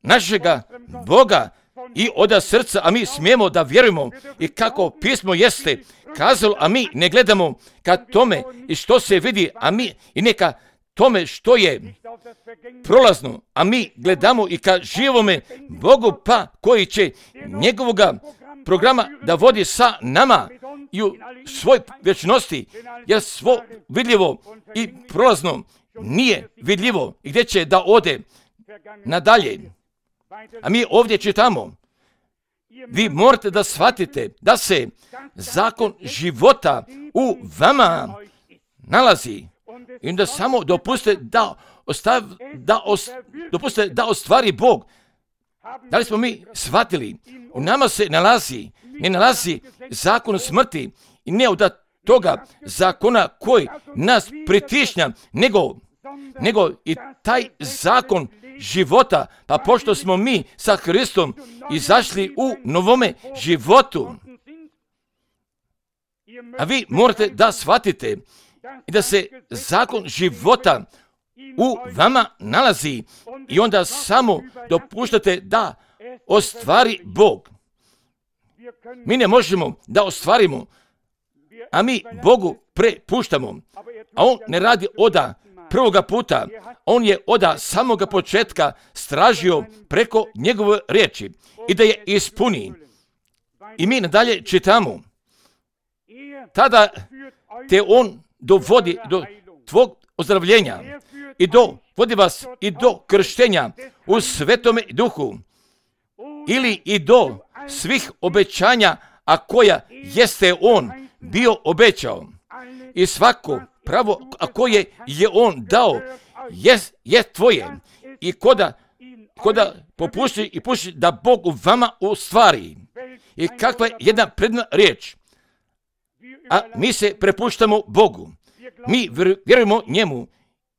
S1: našega Boga i od srca, a mi smijemo da vjerujemo i kako pismo jeste kazalo, a mi ne gledamo ka tome i što se vidi, a mi i neka tome što je prolazno, a mi gledamo i ka živome Bogu, pa koji će njegovoga programa da vodi sa nama i u svoj vječnosti, jer svo vidljivo i prolazno nije vidljivo i gdje će da ode nadalje. A mi ovdje čitamo, vi morate da shvatite da se zakon života u vama nalazi i onda samo dopustite da, ostav, da, os, dopustite da ostvari Bog. Da li smo mi shvatili? U nama se nalazi, ne nalazi zakon smrti i ne od toga zakona koji nas pritišnja, nego, nego i taj zakon života, pa pošto smo mi sa Hristom izašli u novome životu, a vi morate da shvatite i da se zakon života u vama nalazi i onda samo dopuštate da ostvari Bog. Mi ne možemo da ostvarimo, a mi Bogu prepuštamo, a on ne radi oda prvoga puta, on je oda samoga početka stražio preko njegove riječi i da je ispuni. I mi nadalje čitamo, tada te on dovodi do tvog ozdravljenja i do, vodi vas i do krštenja u Svetome Duhu ili i do svih obećanja, a koja jeste on bio obećao. I svako pravo, a koje je on dao, je, je tvoje. I koda, koda popušti i puši da Bog u vama ostvari. I kakva je jedna predna riječ. A mi se prepuštamo Bogu. Mi vjerujemo njemu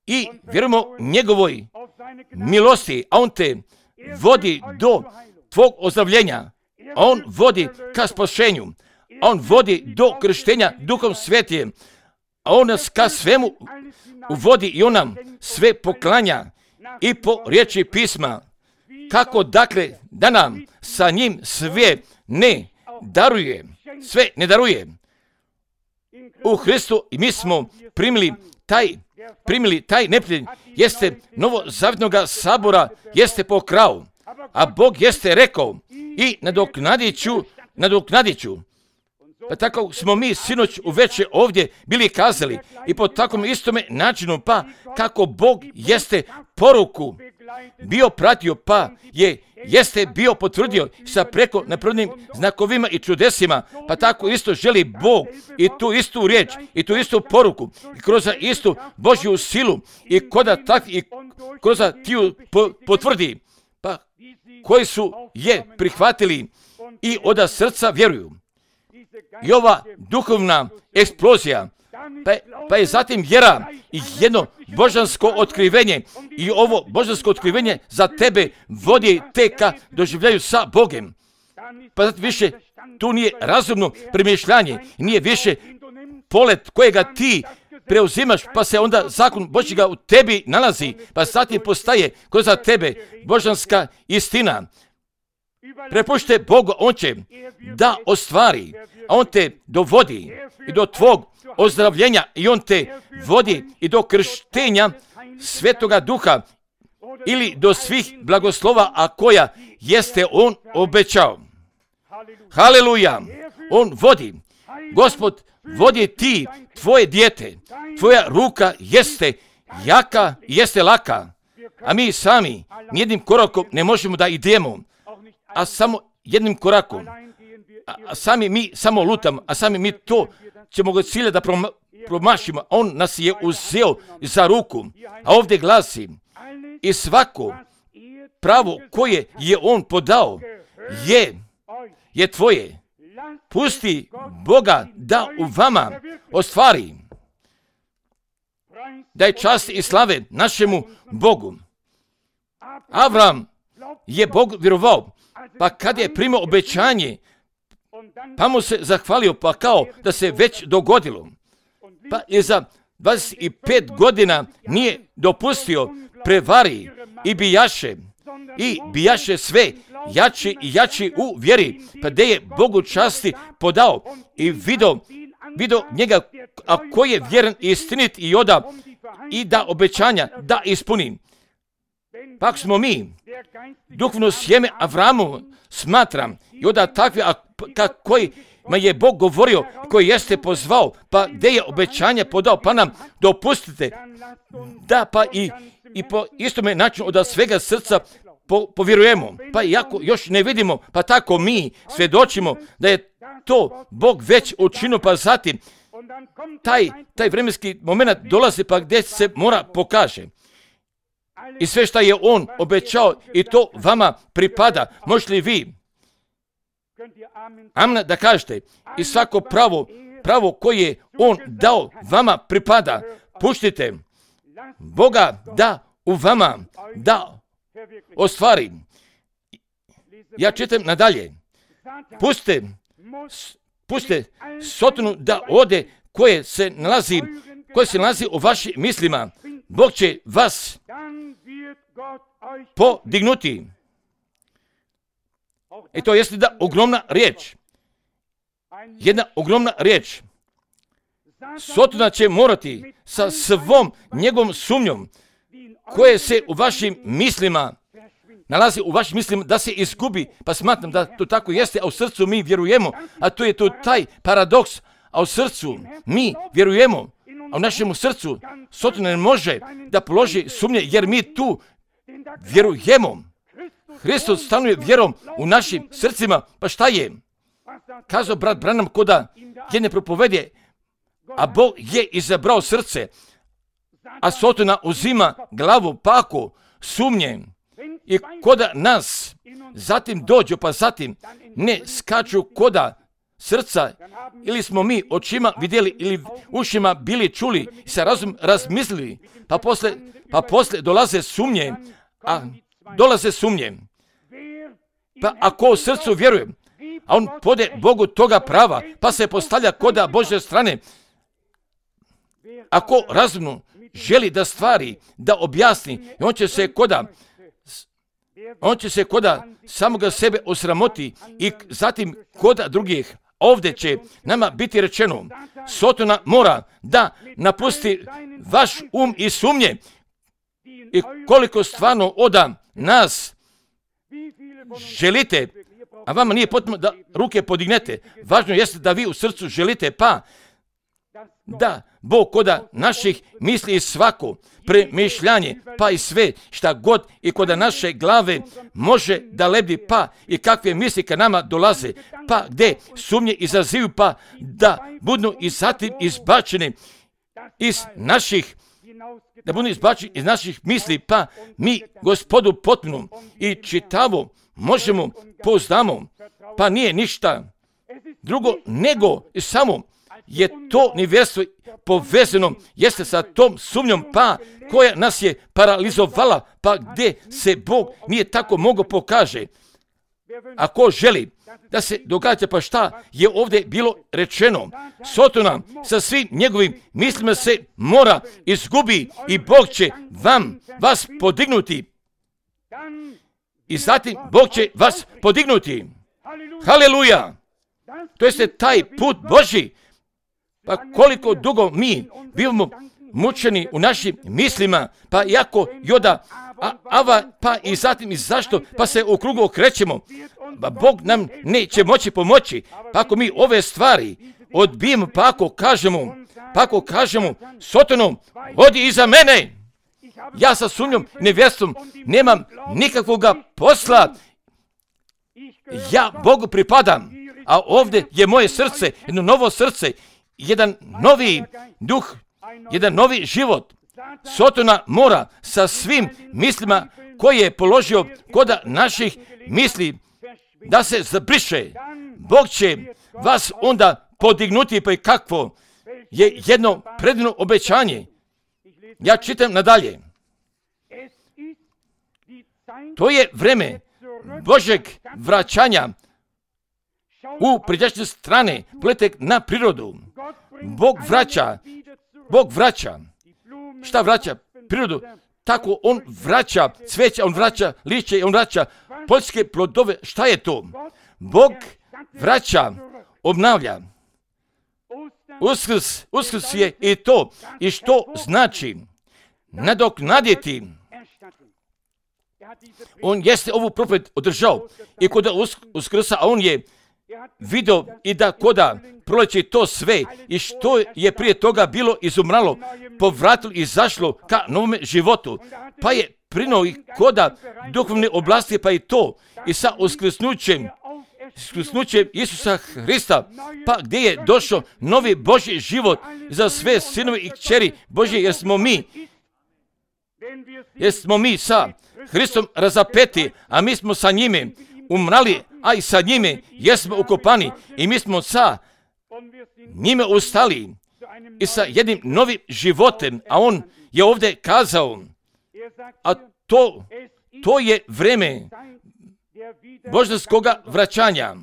S1: i vjerujemo njegovoj milosti, a on te vodi do tvog ozdravljenja. A on vodi ka spašenju. A on vodi do krštenja Duhom Svetim. A on nas ka svemu uvodi i on nam sve poklanja i po riječi pisma. Kako dakle da nam sa njim sve ne daruje, sve ne daruje. U Hristu i mi smo primili taj, primili taj neprijatelj, jeste novozavjetnoga sabora, jeste pokrao, a Bog jeste rekao i nadoknadit ću, nadoknadit ću. Pa tako smo mi sinoć uveče ovdje bili kazali i po takvom istome načinu, pa kako Bog jeste poruku bio pratio, pa je jeste bio potvrdio sa preko napravljenim znakovima i čudesima, pa tako isto želi Bog i tu istu riječ i tu istu poruku i kroz istu Božju silu i koda tak i kroz tiju po, potvrdi, pa koji su je prihvatili i od srca vjeruju. I ova duhovna eksplozija, pa, pa je zatim vjera i jedno božansko otkrivenje. I ovo božansko otkrivenje za tebe vodi te ka doživljaju sa Bogem. Pa zato više tu nije razumno premišljanje, nije više polet kojega ti preuzimaš, pa se onda zakon Božjega u tebi nalazi, pa zatim postaje kroz tebe božanska istina. Prepušte Bogu, on će da ostvari, a on te dovodi i do tvog ozdravljenja i on te vodi i do krštenja Svetoga Duha ili do svih blagoslova, a koja jeste on obećao. Haleluja! On vodi. Gospod vodi ti, tvoje dijete. Tvoja ruka jeste jaka, jeste laka. A mi sami nijednim korakom ne možemo da idemo, a samo jednim korakom. A, a sami mi samo lutamo, a sami mi to ćemo ga cilja da prom, promašimo. On nas je uzeo za ruku. A ovdje glasi, i svako pravo koje je on podao je, je tvoje. Pusti Boga da u vama ostvari. Daj čast i slave našemu Bogu. Avram je Bog vjerovao, pa kad je primio obećanje, pa mu se zahvalio, pa kao da se već dogodilo. Pa je za dvadeset pet godina nije dopustio prevari i bijaše, i bijaše sve jači i jači u vjeri, pa gdje je Bogu časti podao i vidio, vidio njega, a koji je vjeren i istinit i oda i da obećanja da ispuni. Pak smo mi, duhovno sjeme Avramu smatram i oda takvi, a kojima je Bog govorio, koji jeste pozvao, pa gdje je obećanje podao, pa nam dopustite da pa i, i po istome načinu od svega srca po, povjerujemo. Pa iako još ne vidimo, pa tako mi svjedočimo da je to Bog već učinio, pa zatim taj, taj vremenski moment dolazi, pa gdje se mora pokaže. I sve što je on obećao i to vama pripada. Možete li vi amen da kažete, i svako pravo, pravo koje je on dao vama pripada. Puštite Boga da u vama da ostvari. Ja čitam nadalje. Pustite, pustite Sotonu da ode koje se nalazi, koje se nalazi u vašim mislima. Bog će vas podignuti. I to jeste da ogromna riječ. Jedna ogromna riječ. Sotona će morati sa svom njegovom sumnjom koje se u vašim mislima nalazi u vašim mislima da se izgubi. Pa smatram da to tako jeste, a u srcu mi vjerujemo. A to je to taj paradoks. A u srcu mi vjerujemo. A u našem srcu Sotona ne može da položi sumnje jer mi tu vjerujemo. Hristos stanuje vjerom u našim srcima. Pa šta je? Kazao brat Branham koda jedne propovede, a Bog je izabrao srce, a Sotona uzima glavu paku sumnje. I koda nas zatim dođu, pa zatim ne skaču koda srca, ili smo mi očima vidjeli ili ušima bili čuli i sa razum razmislili, pa posle, pa posle dolaze sumnje, a dolaze sumnje. Pa ako u srcu vjeruje, a on pode Bogu toga prava, pa se postavlja koda Božje strane, ako razumno želi da stvari, da objasni, on će se koda, on će se koda samoga sebe osramoti i zatim koda drugih. Ovdje će nama biti rečeno, Sotona mora da napusti vaš um i sumnje i koliko stvarno oda nas želite, a vama nije potrebno da ruke podignete. Važno jeste da vi u srcu želite, pa da Bog koda naših misli i svako premišljanje, pa i sve šta god i koda naše glave može da lebdi, pa i kakve misli ka nama dolaze, pa gdje sumnje izazivaju, pa da budu i zatim izbačene iz naših, da budu izbačeni iz naših misli, pa mi Gospodu potpuno i čitavo možemo, pouzdamo pa nije ništa drugo nego i samo je to nevjerstvo povezano jeste sa tom sumnjom pa koja nas je paralizovala, pa gdje se Bog nije tako mogao pokaže. Ako želi da se događa, pa šta je ovdje bilo rečeno? Sotona sa svim njegovim mislima se mora izgubi i Bog će vam, vas podignuti. I zatim Bog će vas podignuti. Haleluja! To jeste taj put Božji. Pa koliko dugo mi bivamo mučeni u našim mislima, pa jako joda, a, ava, pa i zatim i zašto, pa se u krugu okrećemo. Pa Bog nam neće moći pomoći. Pa ako mi ove stvari odbijemo, pa ako kažemo, pa ako kažemo Sotonom, odi iza mene. Ja sa sumnjom i nevjerstvom nemam nikakvoga posla. Ja Bogu pripadam, a ovdje je moje srce, jedno novo srce, jedan novi duh, jedan novi život. Sotona mora sa svim mislima koje je položio kod naših misli da se zabriše. Bog će vas onda podignuti, pa i kakvo je jedno predivno obećanje. Ja čitam nadalje. To je vreme Božeg vraćanja u prijašnje strane, pogledajte na prirodu. Bog vraća, Bog vraća. Šta vraća? Prirodu. Tako on vraća cveće, on vraća lišće, on vraća poljske plodove. Šta je to? Bog vraća, obnavlja. Uskrs, uskrs je i to. I što znači? Nadoknaditi. On jeste ovu propoved održao i kod uskrsa, a on je vidio i da koda proleće to sve i što je prije toga bilo izumralo, povratilo i zašlo ka novome životu, pa je prinuo i koda duhovne oblasti, pa i to i sa uskrsnućem, uskrsnućem Isusa Hrista, pa gdje je došao novi Božji život za sve sinove i kćeri Božje, jer smo mi, jer smo mi sa Hristom razapeti, a mi smo sa njime umrali, a i sa njime jesmo ukopani i mi smo sa njime ustali i sa jednim novim životem, a on je ovdje kazao, a to, to je vreme božanskoga vraćanja.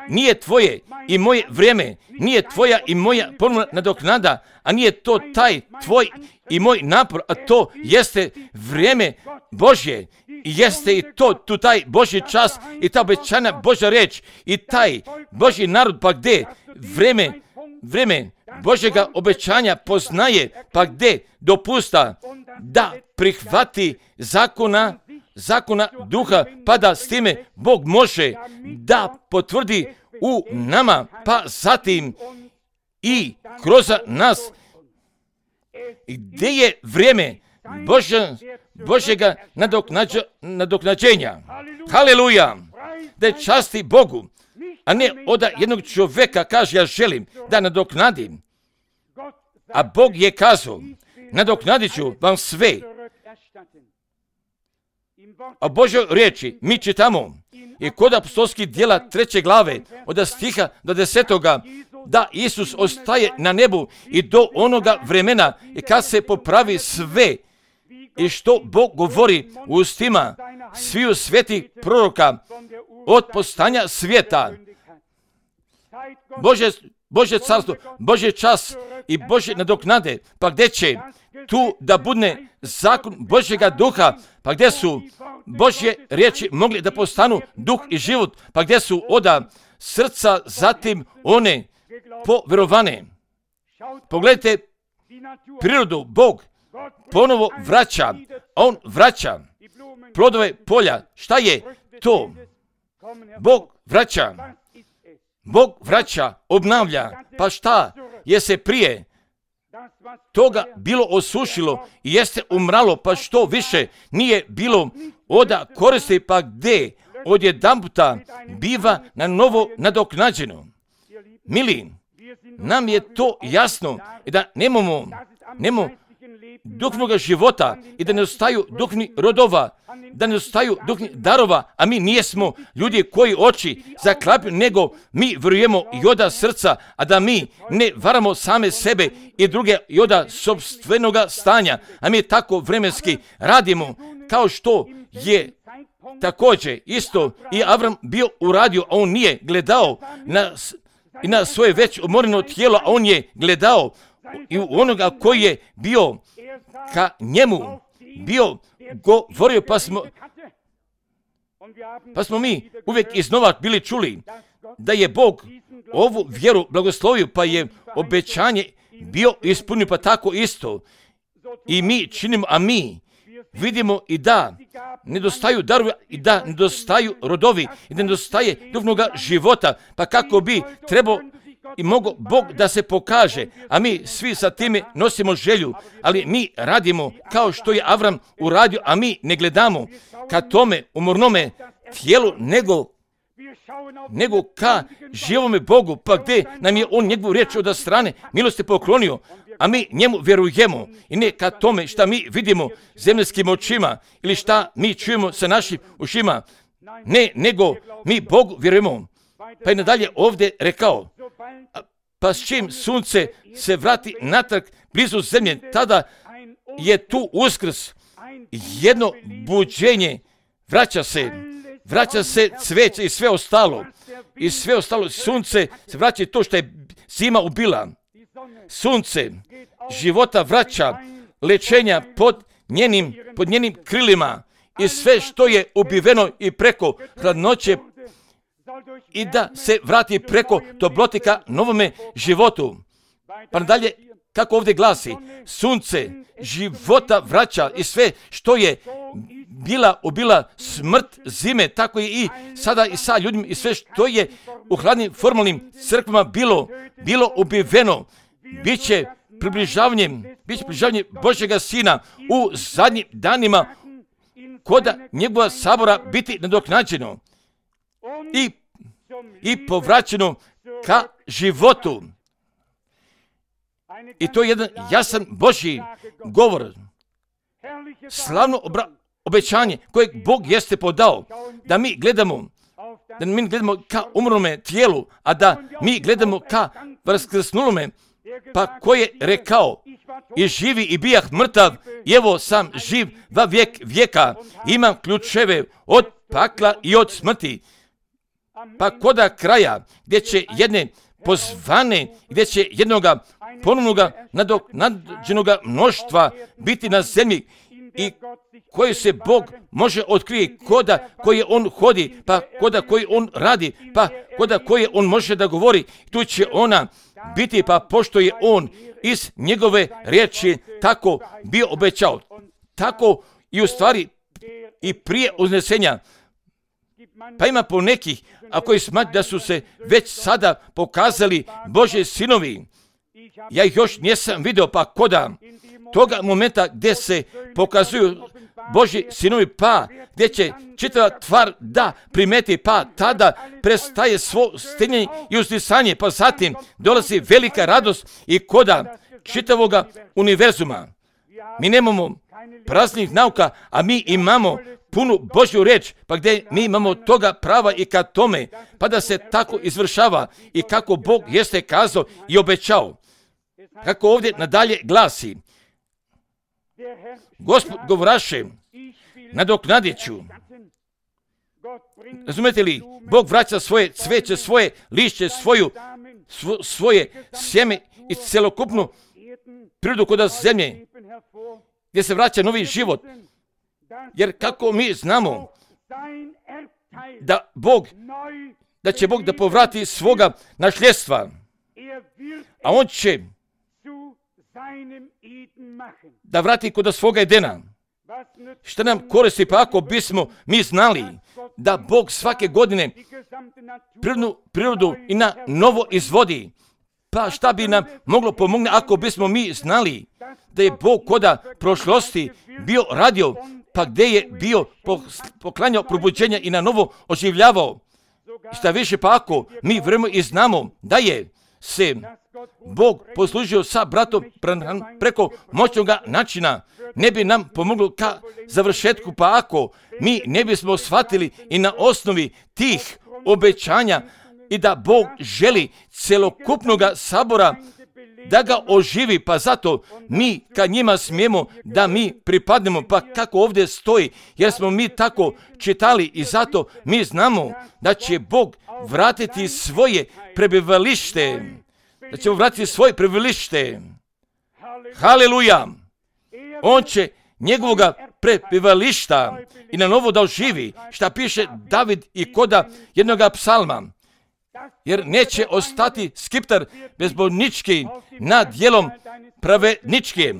S1: Nije tvoje i moje vrijeme, nije tvoja i moja ponovna nadoknada, a nije to taj tvoj i moj napor, a to jeste vrijeme Božje. I jeste i to, tu taj Božji čas i ta obećana Božja riječ i taj Božji narod, pa gdje vrijeme, vrijeme Božjega obećanja poznaje, pa gdje dopusta da prihvati zakona, zakona duha, pa da s time Bog može da potvrdi u nama, pa zatim i kroz nas. Gdje je vrijeme Božja, Božjega nadoknađa, nadoknađenja. Haleluja! Da je časti Bogu, a ne od jednog čovjeka kaže ja želim da nadoknadim. A Bog je kazao, nadoknadit ću vam sve. A Božoj riječi mi čitamo i kod apostolskih djela treće glave od stiha do desetoga da Isus ostaje na nebu i do onoga vremena i kad se popravi sve i što Bog govori u ustima sviju svetih proroka od postanja svijeta. Bože, Bože carstvo, Bože čas i Bože nadoknade, pa gdje će tu da budne zakon Božjega duha, pa gdje su Božje riječi mogli da postanu duh i život, pa gdje su oda srca zatim one povjerovane. Pogledajte prirodu, Bog ponovo vraća, on vraća plodove polja. Šta je to? Bog vraća, Bog vraća, obnavlja, pa šta je se prije toga bilo osušilo i jeste umralo, pa što više nije bilo oda koristi, pa gdje odjedanputa biva na novo nadoknađeno. Mili, nam je to jasno i da nemamo, nemamo duhovnog života i da ne ostaju duhovnih rodova, da nedostaju duhovnih darova, a mi nijesmo ljudi koji oči zaklapju, nego mi vjerujemo i od srca, a da mi ne varamo same sebe i druge i od sopstvenoga stanja, a mi tako vremenski radimo, kao što je također isto i Avram bio uradio, a on nije gledao na, i na svoje već umoreno tijelo, a on je gledao i u onoga koji je bio ka njemu, bio govorio, pa smo, pa smo mi uvijek iznova bili čuli da je Bog ovu vjeru blagoslovio, pa je obećanje bio ispunio, pa tako isto i mi činimo, a mi vidimo i da nedostaju darovi, i da nedostaju rodovi, i da nedostaje duhovnoga života, pa kako bi trebao i mogo Bog da se pokaže, a mi svi sa time nosimo želju, ali mi radimo kao što je Avram uradio, a mi ne gledamo ka tome umornome tijelu, nego, nego ka živome Bogu, pa gdje nam je on njegovu riječ od strane milosti poklonio, a mi njemu vjerujemo i ne ka tome šta mi vidimo zemljskim očima ili šta mi čujemo sa našim ušima, ne, nego mi Bogu vjerujemo. Pa je nadalje ovdje rekao, pa s čim sunce se vrati natrag blizu zemlje, tada je tu uskrs, jedno buđenje, vraća se, vraća se cveće i sve ostalo, i sve ostalo, sunce se vraća to što je zima ubila. Sunce života vraća, lečenja pod njenim, pod njenim krilima i sve što je ubiveno i preko hladnoće i da se vrati preko toplotika novome životu. Pa nadalje, kako ovdje glasi, sunce života vraća i sve što je bila ubila smrt zime, tako je i sada i sa ljudima i sve što je u hladnim formalnim crkvama bilo, bilo ubiveno, bit će približavanjem, bit će približavanje Božjega Sina u zadnjim danima, koda njegova sabora biti nadoknađeno i, i povraćeno ka životu. I to je jedan jasan Božji govor, slavno obra- obećanje kojeg Bog jeste podao, da mi gledamo, da mi gledamo ka umrlome tijelu, a da mi gledamo ka vaskrsnulome, pa ko je rekao, i živi i bijah mrtav, i evo sam živ va vijek vijeka, imam ključeve od pakla i od smrti. Pa koda kraja, gdje će jedne pozvane, gdje će jednoga ponovnoga nadoknađenoga mnoštva biti na zemlji i koje se Bog može otkrije, koda koje on hodi, pa koda koji on radi, pa koda koje on može da govori, tu će ona biti, pa pošto je on iz njegove riječi tako bio obećao, tako i u stvari i prije uznesenja. Pa ima po nekih, a koji smatruju da su se već sada pokazali Božji sinovi. Ja ih još nisam vidio, pa koda toga momenta gdje se pokazuju Božji sinovi, pa gdje će čitava tvar da primeti, pa tada prestaje svo stenjenje i uzdisanje, pa zatim dolazi velika radost i koda čitavoga univerzuma. Mi nemamo praznih nauka, a mi imamo punu Božju riječ, pa gdje mi imamo toga prava i ka tome, pa da se tako izvršava i kako Bog jeste kazao i obećao. Kako ovdje nadalje glasi, Gospod govoraše, nadoknadit ću. Razumete li, Bog vraća svoje cveće, svoje lišće, svoju, svo, svoje sjeme i celokupnu prirodu kod zemlje, gdje se vraća novi život. Jer kako mi znamo da Bog, da će Bog da povrati svoga nasljedstva, a on će da vrati kod svoga Edena. Šta nam koristi, pa ako bismo mi znali da Bog svake godine prirodnu prirodu i na novo izvodi, pa šta bi nam moglo pomoći ako bismo mi znali da je Bog koda prošlosti bio radio, pa gdje je bio poklanjao probuđenja i na novo oživljavao. Šta više, pa ako mi vremo i znamo da je se Bog poslužio sa bratom Branham preko moćnog načina, ne bi nam pomoglo ka završetku, pa ako mi ne bismo shvatili i na osnovi tih obećanja i da Bog želi celokupnog sabora da ga oživi, pa zato mi ka njima smijemo da mi pripadnemo, pa kako ovdje stoji, jer smo mi tako čitali i zato mi znamo da će Bog vratiti svoje prebivalište, da će vratiti svoje prebivalište. Haleluja! On će njegovoga prebivališta i na novo da oživi, šta piše David i koda jednoga psalma. Jer neće ostati skiptar bezbolnički nad dijelom pravedničke.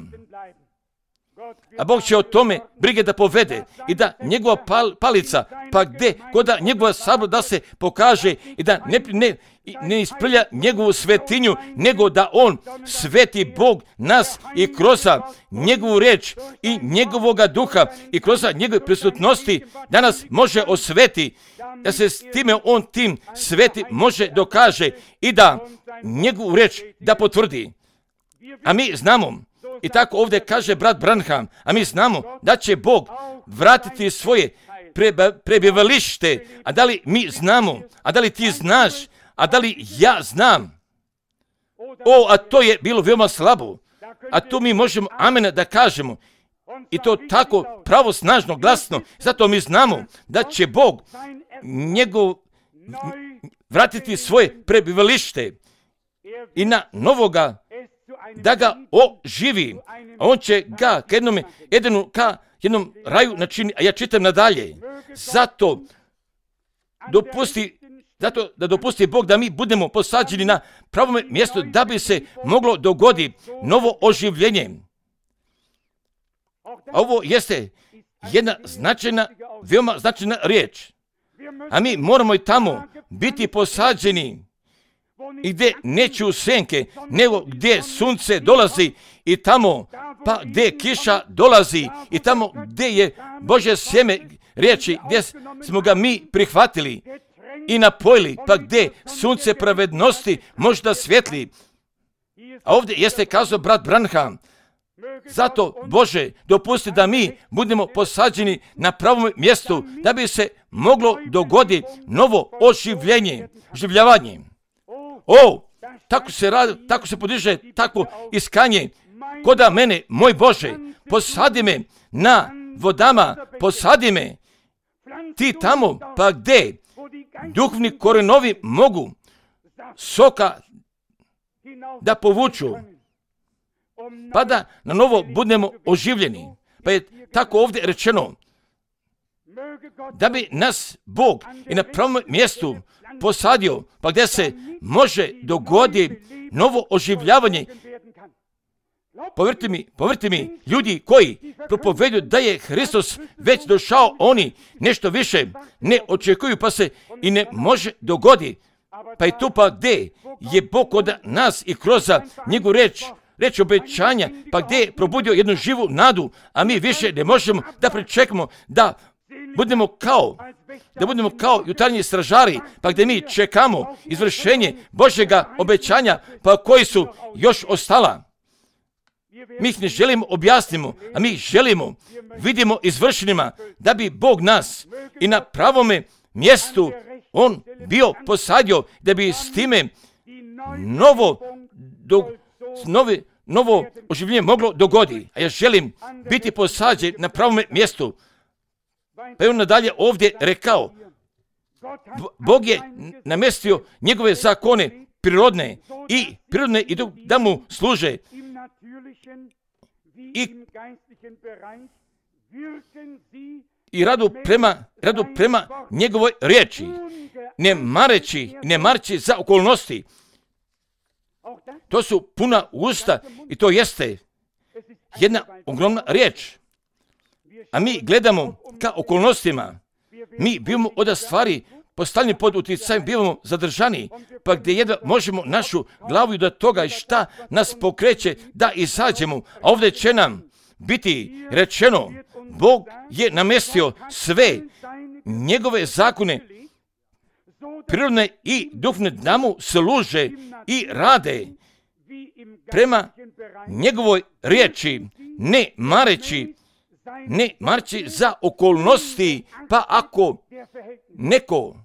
S1: A Bog će o tome brige da povede i da njegova pal, palica, pa gde, koda njegova sabla da se pokaže i da ne, ne, ne isprlja njegovu svetinju, nego da on sveti Bog nas i kroz njegovu reč i njegovoga duha i kroz njegove prisutnosti da nas može osveti, da se s time on tim sveti može dokaže i da njegovu reč da potvrdi. A mi znamo, i tako ovdje kaže brat Branham, a mi znamo da će Bog vratiti svoje prebivalište. A da li mi znamo, a da li ti znaš, a da li ja znam? O, a to je bilo veoma slabo. A tu mi možemo amen da kažemo. I to tako pravosnažno, glasno. Zato mi znamo da će Bog njegov vratiti svoje prebivalište i na novoga da ga oživi. A on će ga ka jednom, jednom, ka jednom raju načini, a ja čitam nadalje. Zato dopusti, zato da dopusti Bog da mi budemo posađeni na pravom mjestu da bi se moglo dogoditi novo oživljenje. A ovo jeste jedna značajna, veoma značajna riječ. A mi moramo i tamo biti posađeni i gdje neću senke, nego gdje sunce dolazi i tamo, pa gdje kiša dolazi i tamo gdje je Božje sjeme riječi, gdje smo ga mi prihvatili i napojili, pa gdje sunce pravednosti možda svjetli. A ovdje jeste kazao brat Branham, zato Bože dopusti da mi budemo posađeni na pravom mjestu da bi se moglo dogoditi novo oživljenje, oživljavanje. O, tako se radi, tako se podiže, tako iskanje. Koda mene, moj Bože, posadi me na vodama, posadi me ti tamo, pa gdje duhovni korenovi mogu soka da povuču, pa da na novo budemo oživljeni. Pa je tako ovdje rečeno, da bi nas Bog i na pravom mjestu posadio, pa gdje se može dogoditi novo oživljavanje. Povjerite mi, povjerite mi, ljudi koji propoveduju da je Hristos već došao, oni nešto više ne očekuju, pa se i ne može dogoditi. Pa je tu pa gdje je Bog od nas i kroz njegovu reč, reč obećanja, pa gdje je probudio jednu živu nadu, a mi više ne možemo da pričekamo da budemo kao, da budemo kao jutarnji stražari, pa gdje mi čekamo izvršenje Božjega obećanja, pa koji su još ostala. Mi ih ne želimo objasnimo, a mi ih želimo, vidimo izvršenima, da bi Bog nas i na pravome mjestu on bio posadio, da bi s time novo, do, novi, novo oživljenje moglo dogoditi. A ja želim biti posađen na pravome mjestu. Pa je on nadalje ovdje rekao, Bog je namestio njegove zakone prirodne i prirodne i da mu služe. I, i radu prema, radu prema njegovoj riječi, ne mareći, ne marći za okolnosti. To su puna usta i to jeste jedna ogromna riječ. A mi gledamo ka okolnostima. Mi bivamo od stvari postavljeni pod utjecajem, bivamo zadržani, pa gdje jedva možemo našu glavu i do toga i šta nas pokreće da izađemo. A ovdje će nam biti rečeno, Bog je namestio sve njegove zakone, prirodne i duhovne, da mu služe i rade. prema njegovoj riječi, ne mareći, ne mareći za okolnosti, pa ako neko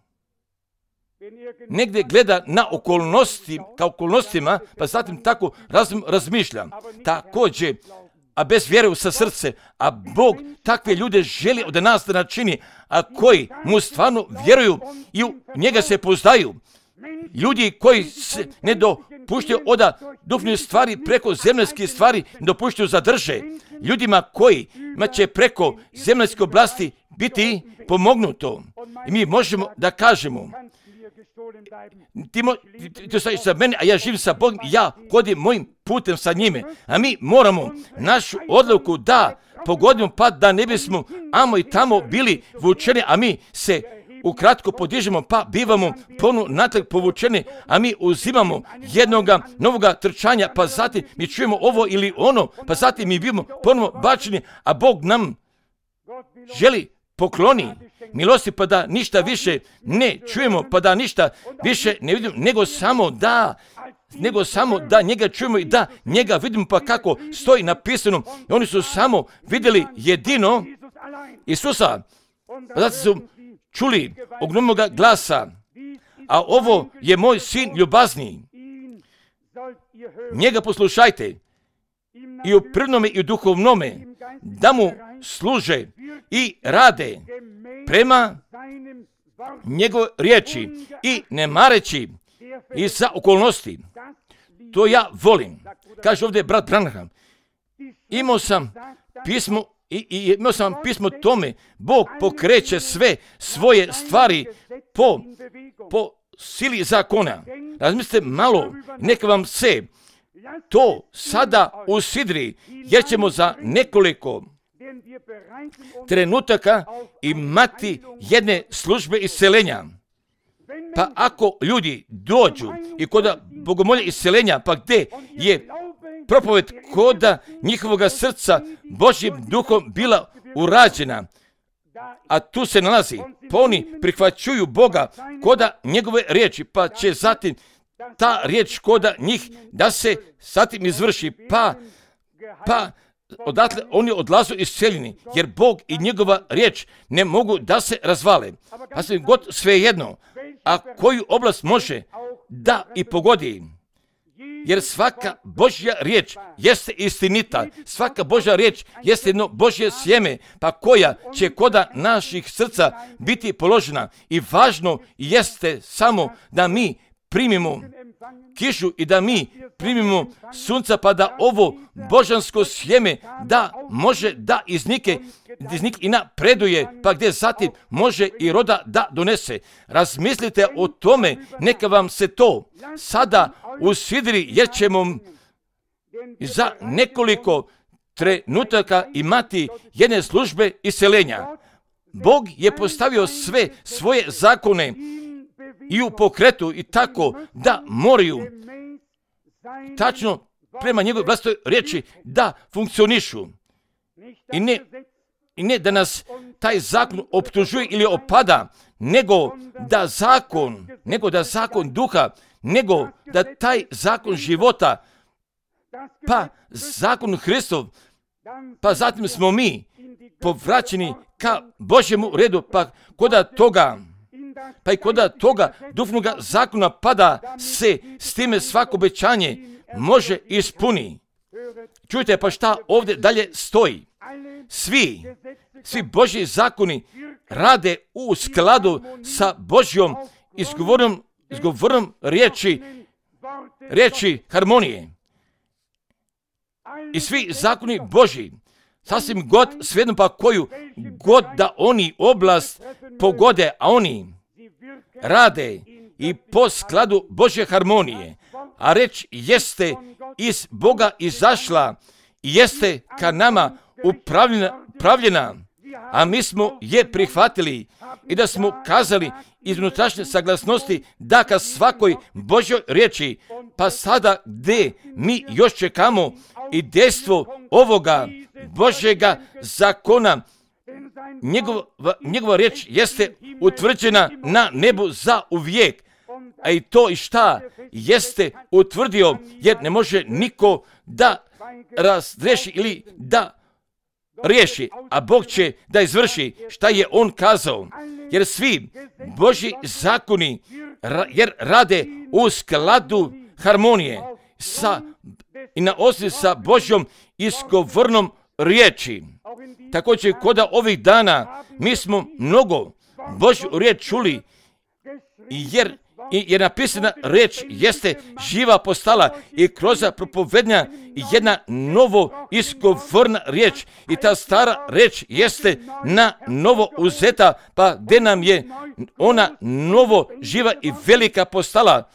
S1: negdje gleda na okolnosti, kao okolnostima, pa zatim tako razum, razmišlja. Također, a bez vjere sa srce, a Bog takve ljude želi od nas da načini, a koji mu stvarno vjeruju i u njega se poznaju. Ljudi koji se ne dopuštaju oda duhovne stvari preko zemaljskih stvari, ne dopuštaju zadrže. Ljudima koji će preko zemaljske oblasti biti pomognuto. I mi možemo da kažemo, ti, mo, ti, ti stojiš sa mene, a ja živim sa Bogom, ja hodim mojim putem sa njime. A mi moramo našu odluku da pogodimo, pa da ne bismo amo i tamo bili vučeni, a mi se ukratko podižemo, pa bivamo ponovno natrag povučeni, a mi uzimamo jednoga novoga trčanja, pa zatim mi čujemo ovo ili ono, pa zatim mi bivamo ponovno bačeni, a Bog nam želi pokloni milosti, pa da ništa više ne čujemo, pa da ništa više ne vidimo, nego samo da nego samo da njega čujemo i da njega vidimo, pa kako stoji napisano. I oni su samo vidjeli jedino Isusa, pa zato su čuli ognomoga glasa, a ovo je moj sin ljubazni, njega poslušajte, i u prvnome i u duhovnome, da mu služe i rade prema njegove riječi i ne mareći i za okolnosti. To ja volim. Kaže ovdje brat Branham, imao sam pismo i, i imao sam pismo tome, Bog pokreće sve svoje stvari po, po sili zakona. Razmislite malo, neka vam se to sada usidri, jer ćemo za nekoliko trenutaka imati jedne službe isceljenja. Pa ako ljudi dođu i kod bogomolja isceljenja, pa gdje je propoved koda njihovoga srca Božjim duhom bila urađena, a tu se nalazi, pa oni prihvaćuju Boga koda njegove riječi, pa će zatim ta riječ koda njih da se zatim izvrši, pa, pa odatle oni odlazu isceljeni, jer Bog i njegova riječ ne mogu da se razvale. A sve god svejedno, a koju oblast može da i pogodi, jer svaka Božja riječ jeste istinita, svaka Božja riječ jeste jedno Božje sjeme, pa koja će koda naših srca biti položena. I važno jeste samo da mi primimo kišu i da mi primimo sunca, pa da ovo božansko sjeme da može da iznike, iznike i napreduje, pa gdje zatim može i roda da donese. Razmislite o tome, neka vam se to sada usidri, jer ćemo za nekoliko trenutaka imati jedne službe isceljenja. Bog je postavio sve svoje zakone i u pokretu i tako da moraju tačno prema njegovoj vlastitoj riječi da funkcionišu. I ne, I ne da nas taj zakon optužuje ili opada, nego da zakon, nego da zakon duha, nego da taj zakon života, pa zakon Hristov, pa zatim smo mi povraćeni ka Božjemu redu, pa koda toga, pa i koda toga duhovnoga zakona pada se s time svako obećanje može ispuni. Čujte, pa šta ovdje dalje stoji? Svi, svi Božji zakoni rade u skladu sa Božjom izgovorom, izgovorom riječi, riječi harmonije. I svi zakoni Božji, sasvim god svejedno pa koju god da oni oblast pogode, a oni rade i po skladu Božje harmonije, a reč jeste iz Boga izašla i jeste ka nama upravljena, upravljena, a mi smo je prihvatili i da smo kazali iz unutrašnje saglasnosti da ka svakoj Božjoj riječi, pa sada gdje mi još čekamo i dejstvo ovoga Božjega zakona, njegova, njegova riječ jeste utvrđena na nebu za uvijek, a i to i šta jeste utvrdio, jer ne može niko da razreši ili da riješi, a Bog će da izvrši šta je On kazao. Jer svi Božji zakoni jer rade u skladu harmonije sa, i na osnovi sa Božjom izgovornom riječi. Također kod ovih dana mi smo mnogo Božju riječ čuli, jer je napisana riječ jeste živa postala i kroz propovednja jedna novo izgovorna riječ i ta stara riječ jeste na novo uzeta, pa gdje nam je ona novo živa i velika postala.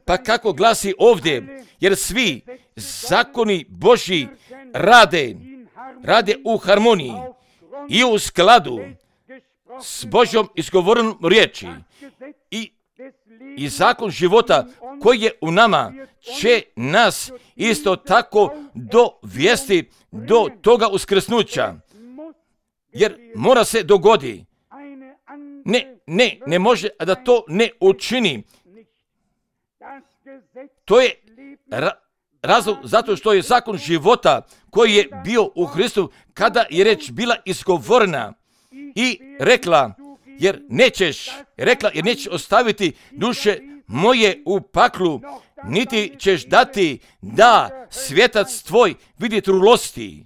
S1: Pa kako glasi ovdje, jer svi zakoni Božji rade, rade u harmoniji i u skladu s Božjom izgovorenom riječi i I zakon života koji je u nama će nas isto tako dovesti do toga uskrsnuća. Jer mora se dogodi. Ne, ne, ne može da to ne učini. To je ra- razlog zato što je zakon života koji je bio u Hristu kada je reč bila izgovorena i rekla, jer nećeš, rekla, jer nećeš ostaviti duše moje u paklu, niti ćeš dati da svjetac tvoj vidi trulosti.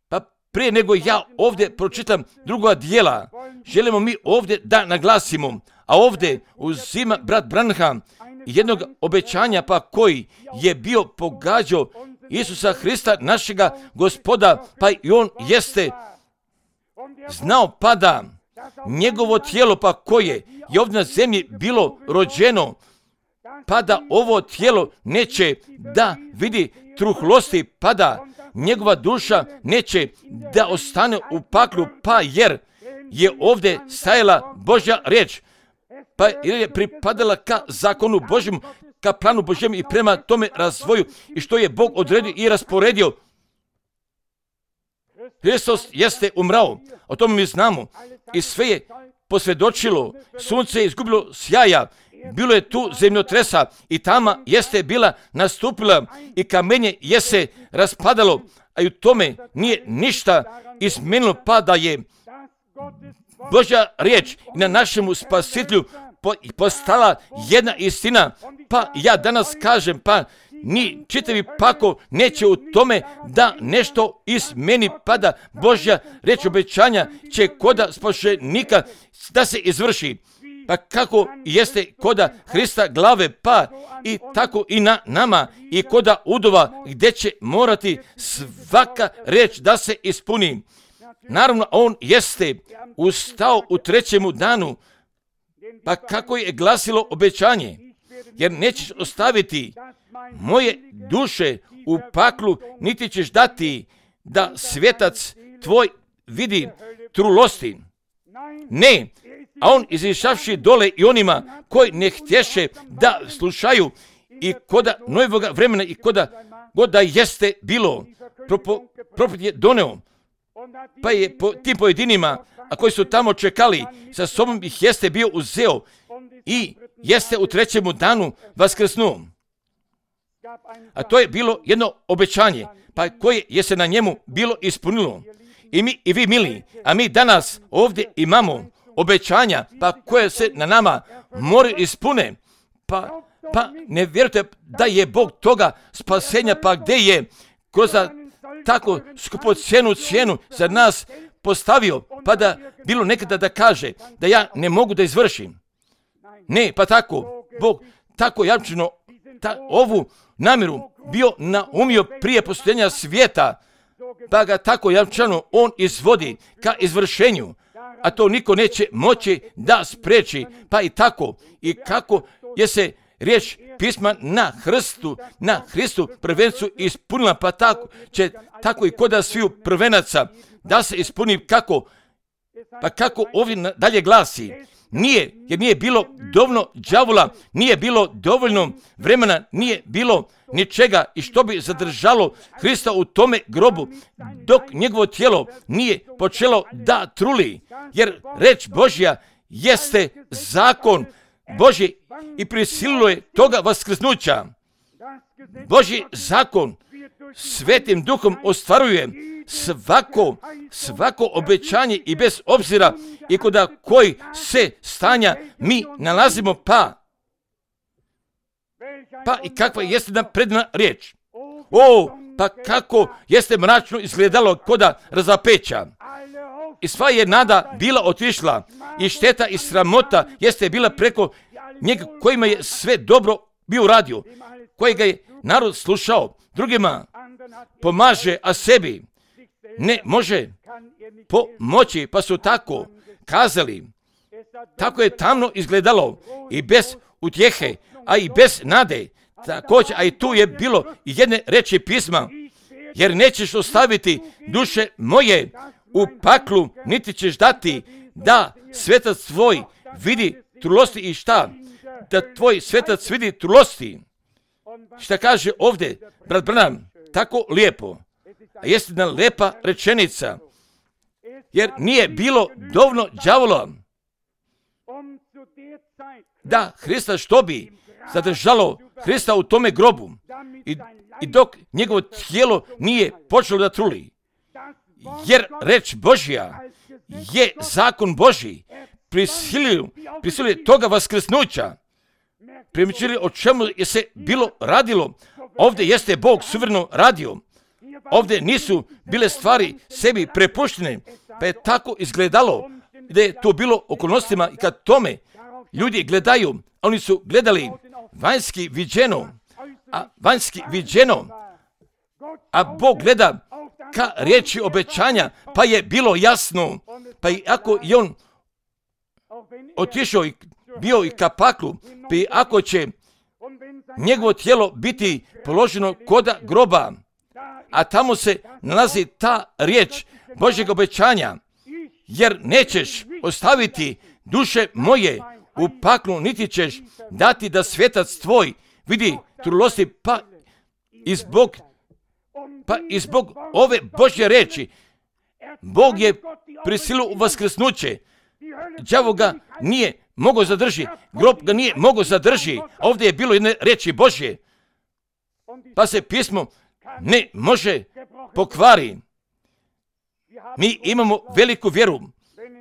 S1: Pa prije nego ja ovdje pročitam druga dijela, želimo mi ovdje da naglasimo, a ovdje uzima brat Branham jednog obećanja pa koji je bio pogađao Isusa Hrista, našega Gospoda, pa i on jeste znao pa da njegovo tijelo pa koje je ovdje na zemlji bilo rođeno, pa da ovo tijelo neće da vidi truhlosti, pa da njegova duša neće da ostane u paklu, pa jer je ovdje stajala Božja riječ, pa jer je pripadala ka zakonu Božjem, ka planu Božjem i prema tome razvoju i što je Bog odredio i rasporedio. Hristos jeste umrao, o tome mi znamo, i sve je posvjedočilo, sunce je izgubilo sjaja, bilo je tu zemljotresa i tama jeste bila nastupila i kamenje je se raspadalo, a i u tome nije ništa izmenilo, pa da je Božja riječ na našemu spasitelju postala jedna istina. Pa ja danas kažem, pa ni čitavi pako neće u tome da nešto izmeni, pa da Božja riječ obećanja će koda spašenika da se izvrši. Pa kako jeste koda Hrista glave, pa i tako i na nama i koda udova gdje će morati svaka riječ da se ispuni. Naravno, on jeste ustao u trećemu danu, pa kako je glasilo obećanje, jer nećeš ostaviti moje duše u paklu, niti ćeš dati da svjetac tvoj vidi trulosti. Ne, a on izišavši dole i onima koji ne htješe da slušaju i koda novoga vremena i koda god da jeste bilo, propet je doneo, pa je po tim pojedinima, a koji su tamo čekali, sa sobom ih jeste bio uzeo i jeste u trećemu danu vaskrsnuo. A to je bilo jedno obećanje, pa koje je se na njemu bilo ispunilo. I mi i vi mili, a mi danas ovdje imamo obećanja, pa koje se na nama moraju ispune. Pa, pa ne vjerujete da je Bog toga spasenja, pa gdje je kroz tako skupocjenu cijenu za nas postavio, pa da bilo nekada da kaže da ja ne mogu da izvršim. Ne, pa tako, Bog tako jamčeno ta, ovu namjeru bio naumio prije postojanja svijeta, pa ga tako jamčano on izvodi ka izvršenju, a to niko neće moći da spreči, pa i tako, i kako je se riječ pisma na Hristu, na Hristu prvencu ispunila, pa tako će tako i koda sviju prvenaca da se ispuni kako, pa kako ovdje dalje glasi. Nije, jer nije bilo dovoljno đavola, nije bilo dovoljno vremena, nije bilo ničega i što bi zadržalo Hrista u tome grobu, dok njegovo tijelo nije počelo da truli, jer reč Božja jeste zakon Božji i prisililo je toga vaskrsnuća. Božji zakon Svetim Duhom ostvaruje svako, svako obećanje i bez obzira i kod koji se stanja mi nalazimo, pa pa i kakva jeste nam predna riječ. O, pa kako jeste mračno izgledalo koda razapeća. I sva je nada bila otišla i šteta i sramota jeste bila preko njega kojima je sve dobro bio uradio, kojega je narod slušao, drugima pomaže, a sebi ne može pomoći, pa su tako kazali. Tako je tamno izgledalo i bez utjehe, a i bez nade. Također, a i tu je bilo jedne reči pisma, jer nećeš ostaviti duše moje u paklu, niti ćeš dati da svetac tvoj vidi trulosti i šta? Da tvoj svetac vidi trulosti. Šta kaže ovdje brat Branham? Tako lijepo. A jeste jedna lepa rečenica. Jer nije bilo dovoljno đavola da Hrista što bi zadržalo Hrista u tome grobu. I, i dok njegovo tijelo nije počelo da truli. Jer reč Božja je zakon Božji. Prisilio, prisilio toga vaskrsnuća. Primičili o čemu je se bilo radilo. Ovdje jeste Bog suvereno radio. Ovdje nisu bile stvari sebi prepuštene, pa je tako izgledalo da je to bilo okolnostima i kad tome ljudi gledaju, oni su gledali vanjski viđeno, a vanjski viđeno, a Bog gleda ka riječi obećanja, pa je bilo jasno, pa i ako je on otišao i bio i ka paklu, pa i ako će njegovo tijelo biti položeno koda groba, a tamo se nalazi ta riječ Božjeg obećanja, jer nećeš ostaviti duše moje u paklu, niti ćeš dati da svetac tvoj vidi trulosti, pa i zbog, pa i zbog ove Božje reči, Bog je prisilio u vaskrsnuće. Đavo ga nije mogao zadrži, grob ga nije mogao zadrži, a ovdje je bilo jedne reči Božje, pa se pismo ne može pokvari. Mi imamo veliku vjeru,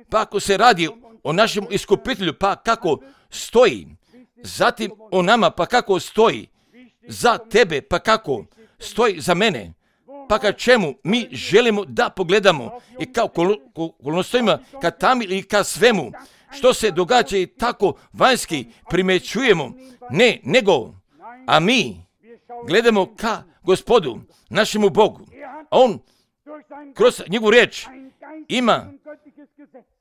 S1: pa ako se radi o našem iskupitelju, pa kako stoji, zatim o nama, pa kako stoji za tebe, pa kako stoji za mene, pa ka čemu mi želimo da pogledamo i kao okolnostima, ka tam ili ka svemu, što se događa i tako vanjski primećujemo, ne, nego, a mi gledamo ka Gospodu, našemu Bogu, a on kroz njegovu riječ ima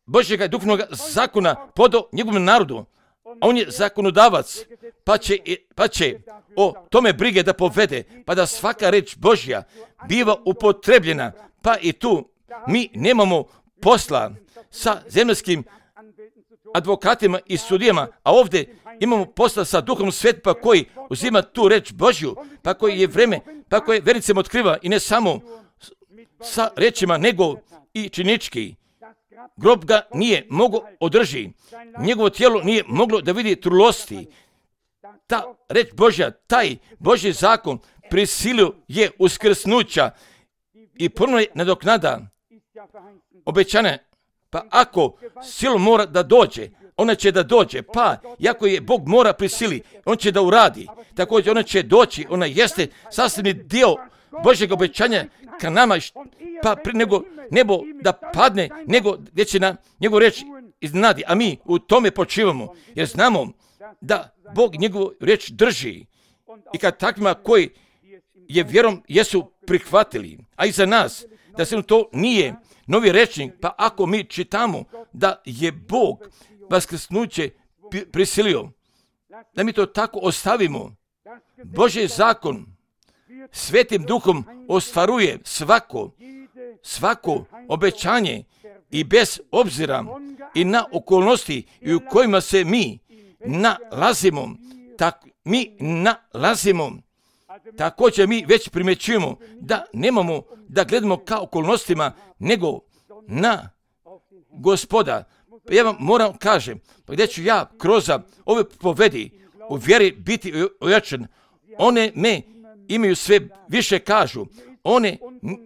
S1: Božjega duhovnog zakona podao njegovom narodu, a on je zakonodavac, pa će, pa će o tome brige da povede, pa da svaka reč Božja biva upotrebljena, pa i tu mi nemamo posla sa zemaljskim advokatima i sudijama, a ovdje imamo posla sa Duhom Svetim, pa koji uzima tu reč Božju, pa koji je vreme, pa koji vernicima otkriva i ne samo sa rečima, nego i činički. Grob ga nije mogao održi, njegovo tijelo nije moglo da vidi trulosti. Ta reč Božja, taj Božji zakon prisilio je uskrsnuća i puno je nadoknada obećane. Pa ako silo mora da dođe, ona će da dođe, pa iako je Bog mora prisili, on će da uradi. Također ona će doći, ona jeste sastavni dio Božjeg obećanja ka nama, pa prije nego nebo da padne, nego gdje će na njegovu riječ iznenadi, a mi u tome počivamo, jer znamo da Bog njegovu riječ drži i kad takvima koji je vjerom jesu prihvatili, a i za nas, da se to nije novi rečnik, pa ako mi čitamo da je Bog vaskrsnuće prisilio, da mi to tako ostavimo. Božji zakon Svetim Duhom ostvaruje svako, svako obećanje i bez obzira i na okolnosti i u kojima se mi nalazimo, tak, mi nalazimo, također mi već primjećujemo da nemamo da gledamo ka okolnostima, nego na Gospoda, Ja vam moram kažem, pa gdje ću ja kroz ove povedi u vjeri biti ojačan, one me imaju sve više kažu, one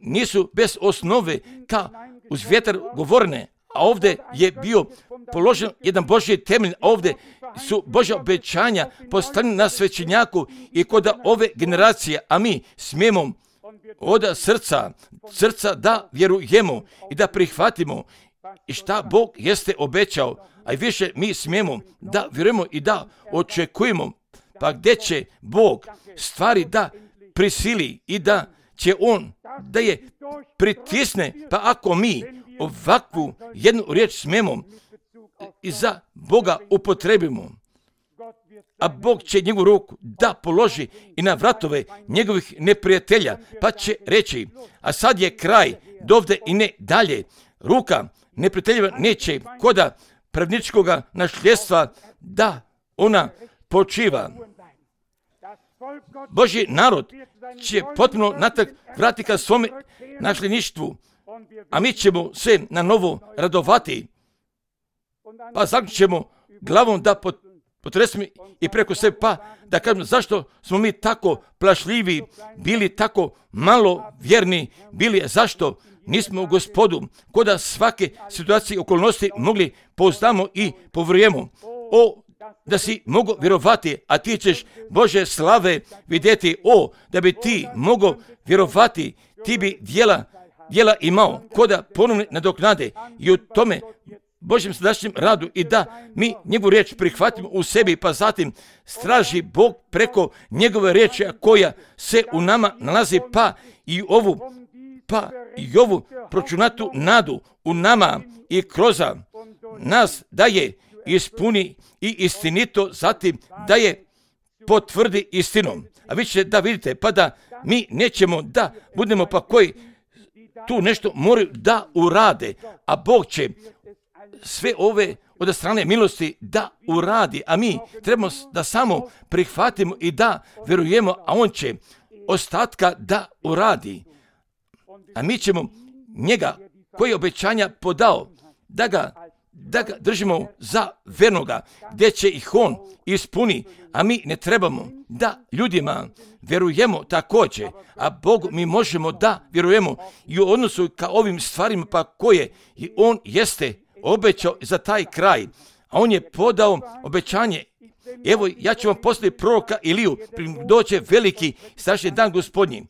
S1: nisu bez osnove ka uz vjetar govorne, a ovdje je bio položen jedan Božji temelj, a ovdje su Božja obećanja postavljena na svećenjaku i kod ove generacije, a mi smijemo od srca, srca da vjerujemo i da prihvatimo i šta Bog jeste obećao, a i više mi smijemo da vjerujemo i da očekujemo, pa gdje će Bog stvari da prisili i da će On da je pritisne, pa ako mi ovakvu jednu riječ smijemo i za Boga upotrebimo, a Bog će njegovu ruku da položi i na vratove njegovih neprijatelja, pa će reći, a sad je kraj, dovde i ne dalje, ruka neprijateljeva neće koda pravničkoga nasljedstva da ona počiva. Božji narod će potpuno natrag vratiti ka svome nasljedništvu, a mi ćemo se na novo radovati, pa zaključimo glavom da potresimo i preko sebe, pa da kažemo zašto smo mi tako plašljivi, bili tako malo vjerni, bili zašto nismo u Gospodu, koda svake situacije i okolnosti mogli pouzdamo i povjerujemo. O, da si mogo vjerovati, a ti ćeš Bože slave vidjeti. O, da bi ti mogo vjerovati, ti bi djela, djela imao, koda ponovne nadoknade i u tome Božjem sadašnjem radu i da mi njegovu riječ prihvatimo u sebi, pa zatim straži Bog preko njegove riječi koja se u nama nalazi, pa i ovu, pa i ovu pročunatu nadu u nama i kroz nas da je ispuni i istinito, zatim da je potvrdi istinom. A vi ćete da vidite, pa da mi nećemo da budemo pa koji tu nešto moraju da urade, a Bog će sve ove od strane milosti da uradi, a mi trebamo da samo prihvatimo i da vjerujemo, a On će ostatka da uradi. A mi ćemo njega koji je obećanja podao, da ga, da ga držimo za vernoga, gdje će ih On ispuni, a mi ne trebamo da ljudima vjerujemo također, a Bogu mi možemo da vjerujemo i u odnosu ka ovim stvarima pa koje i On jeste obećao za taj kraj, a On je podao obećanje. Evo, ja ću vam poslati proroka Iliju, doće veliki strašni dan Gospodnji.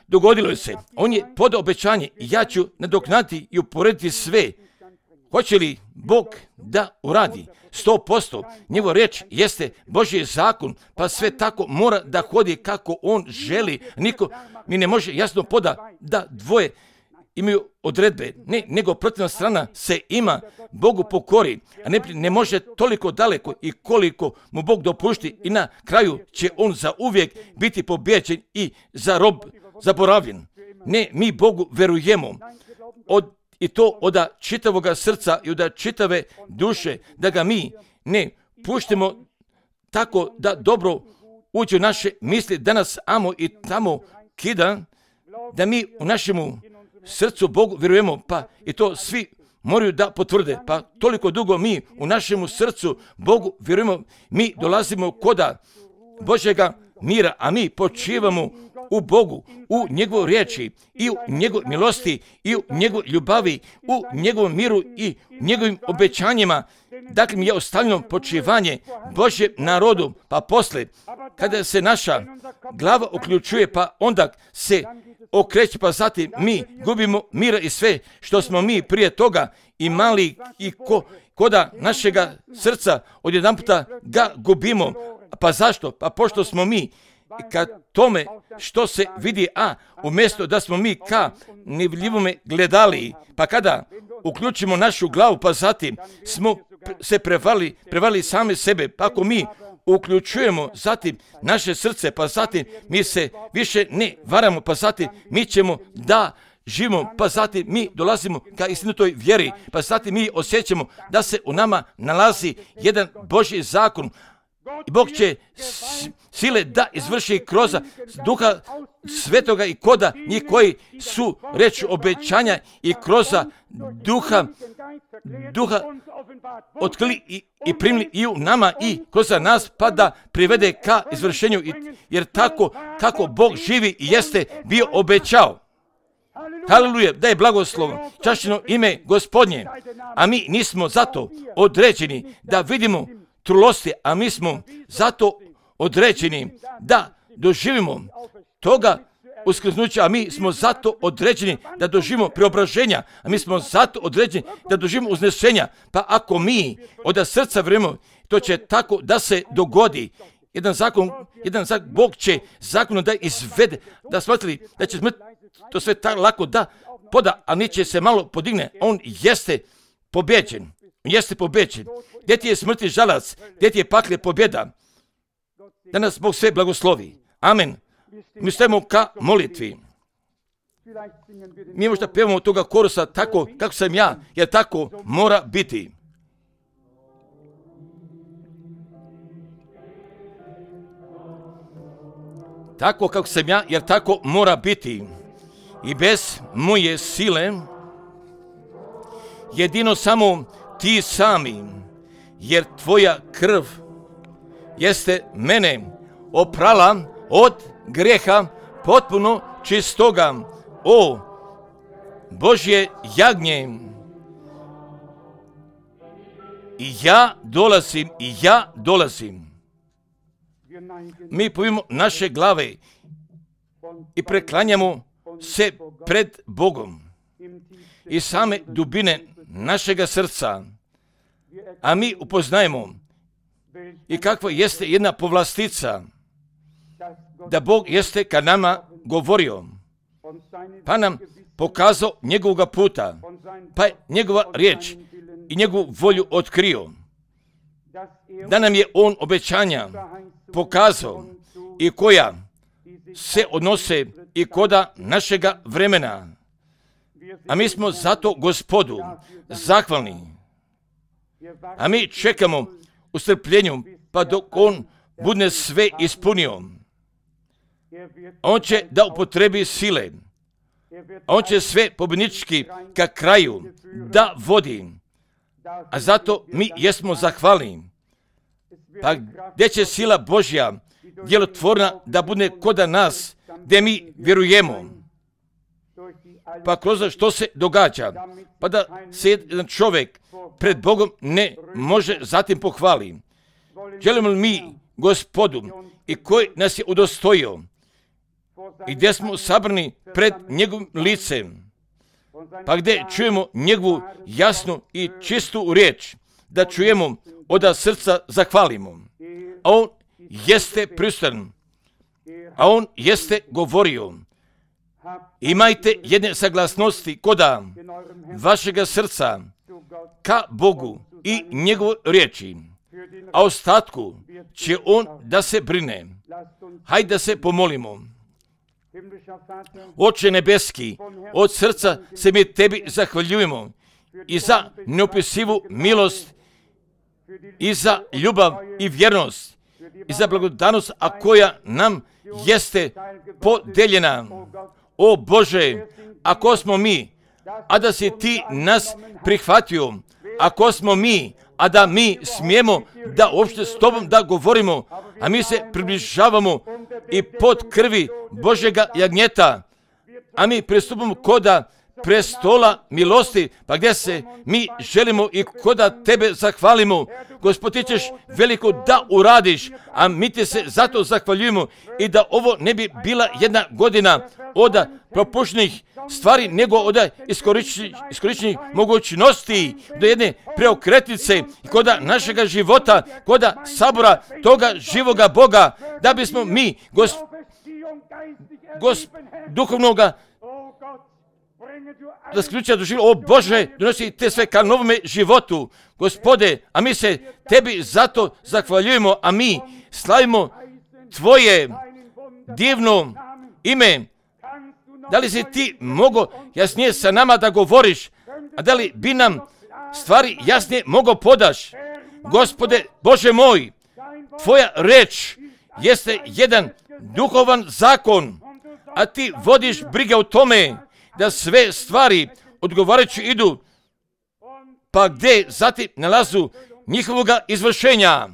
S1: Dogodilo se, On je podao obećanje i ja ću nadoknaditi i uporediti sve. Hoće li Bog da uradi? sto posto. Njegova riječ jeste Božji zakon, pa sve tako mora da hodi kako On želi. Niko mi ne može jasno poda da dvoje imaju odredbe, ne, nego protivna strana se ima Bogu pokori, a ne, ne može toliko daleko i koliko mu Bog dopušti i na kraju će on za uvijek biti pobjeđen i za rob zaboravljen. Ne, mi Bogu verujemo od, i to od čitavoga srca i od čitave duše, da ga mi ne puštimo tako da dobro uđe u naše misli, da nas amo i tamo kida, da mi u našemu srcu Bogu vjerujemo, pa i to svi moraju da potvrde, pa toliko dugo mi u našemu srcu Bogu vjerujemo, mi dolazimo koda Božjega mira, a mi počivamo u Bogu, u njegovoj riječi i u njegovoj milosti i u njegovoj ljubavi, u njegovom miru i njegovim obećanjima. Dakle, mi je ostavljeno počivanje Božjem narodu, pa posle, kada se naša glava uključuje, pa onda se okreće, pa zatim mi gubimo mira i sve što smo mi prije toga imali i ko, koda našega srca odjedanputa ga gubimo. Pa zašto? Pa pošto smo mi ka tome što se vidi, a umjesto da smo mi ka nevidljivome gledali, pa kada uključimo našu glavu, pa zatim smo se prevali, prevali same sebe, pa ako mi uključujemo zatim naše srce, pa zatim mi se više ne varamo, pa zatim mi ćemo da živimo, pa zatim mi dolazimo ka istinitoj vjeri, pa zatim mi osjećamo da se u nama nalazi jedan Božji zakon. I Bog će sile da izvrši kroz Duha Svetoga i koda njih koji su reč obećanja i kroz Duha duha otkrili i, i primili i u nama i kroz nas, pa da privede ka izvršenju, jer tako kako Bog živi i jeste bio obećao. Haleluja, da je blagoslov, čašćeno ime Gospodnje, a mi nismo zato određeni da vidimo trulosti, a mi smo zato određeni da doživimo toga uskrsnuća, a mi smo zato određeni da doživimo preobraženja, a mi smo zato određeni da doživimo uznešenja. Pa ako mi od srca vjerujemo, to će tako da se dogodi. Jedan zakon, jedan zakon, Bog će zakonom da izvede, da smatrali da će smrt, to sve tako lako da poda, a neće se malo podigne. On jeste pobjeđen, on jeste pobjeđen. Gdje ti je smrti žalac, gdje ti je pakle pobjeda. Da nas Bog sve blagoslovi. Amen. Mi stajemo ka molitvi. Mi možda pevamo toga korusa tako kako sam ja, jer tako mora biti. Tako kako sam ja, jer tako mora biti. I bez moje sile, jedino samo ti sami, jer tvoja krv jeste mene oprala od grijeha potpuno čistoga. O Božje jagnje, i ja dolazim, i ja dolazim. Mi povimo naše glave i preklanjamo se pred Bogom i same dubine našega srca, a mi upoznajemo i kakva jeste jedna povlastica, da Bog jeste ka nama govorio, pa nam pokazao njegovoga puta, pa je njegova riječ i njegovu volju otkrio, da nam je on obećanja pokazao i koja se odnose i koda našega vremena. A mi smo zato Gospodu zahvalni. A mi čekamo u strpljenju, pa dok on bude sve ispunio. On će da upotrebi sile. On će sve pobjednički ka kraju da vodi. A zato mi jesmo zahvalni. Pa gdje će sila Božja djelotvorna da bude koda nas, gdje mi vjerujemo. Pa kroz što se događa, pa da se jedan čovjek pred Bogom ne može zatim pohvali. Želimo li mi Gospodu i koji nas je udostojio i gdje smo sabrani pred njegovim licem, pa gdje čujemo njegovu jasnu i čistu riječ, da čujemo od srca zahvalimo. A on jeste prisutan, a on jeste govorio. Imajte jedne saglasnosti koda vašega srca ka Bogu i njegovoj riječi, a ostatku će on da se brine. Hajde da se pomolimo. Oče nebeski, od srca se mi tebi zahvaljujemo i za neopisivu milost, i za ljubav i vjernost, i za blagodanost, a koja nam jeste podeljena. O Bože, ako smo mi, a da si ti nas prihvatio, ako smo mi, a da mi smijemo da uopšte s tobom da govorimo, a mi se približavamo i pod krvi Božjega jagnjeta, a mi pristupamo koda prestola milosti, pa gdje se mi želimo i koda tebe zahvalimo. Gospod, ti ćeš veliko da uradiš, a mi ti se zato zahvaljujemo i da ovo ne bi bila jedna godina od propuštenih stvari, nego od iskorištenih mogućnosti do jedne preokretnice i koda našega života, koda sabora toga živoga Boga, da bismo mi gos, gos, duhovnoga da sključa doživio, o Bože, donosi te sve ka novome životu, Gospode, a mi se tebi zato zahvaljujemo, a mi slavimo tvoje divno ime. Da li si ti mogao jasnije sa nama da govoriš, a da li bi nam stvari jasnije mogao podaš? Gospode, Bože moj, tvoja reč jeste jedan duhovan zakon, a ti vodiš brige o tome da sve stvari odgovarajući idu, pa gdje zatim nalazu njihovoga izvršenja.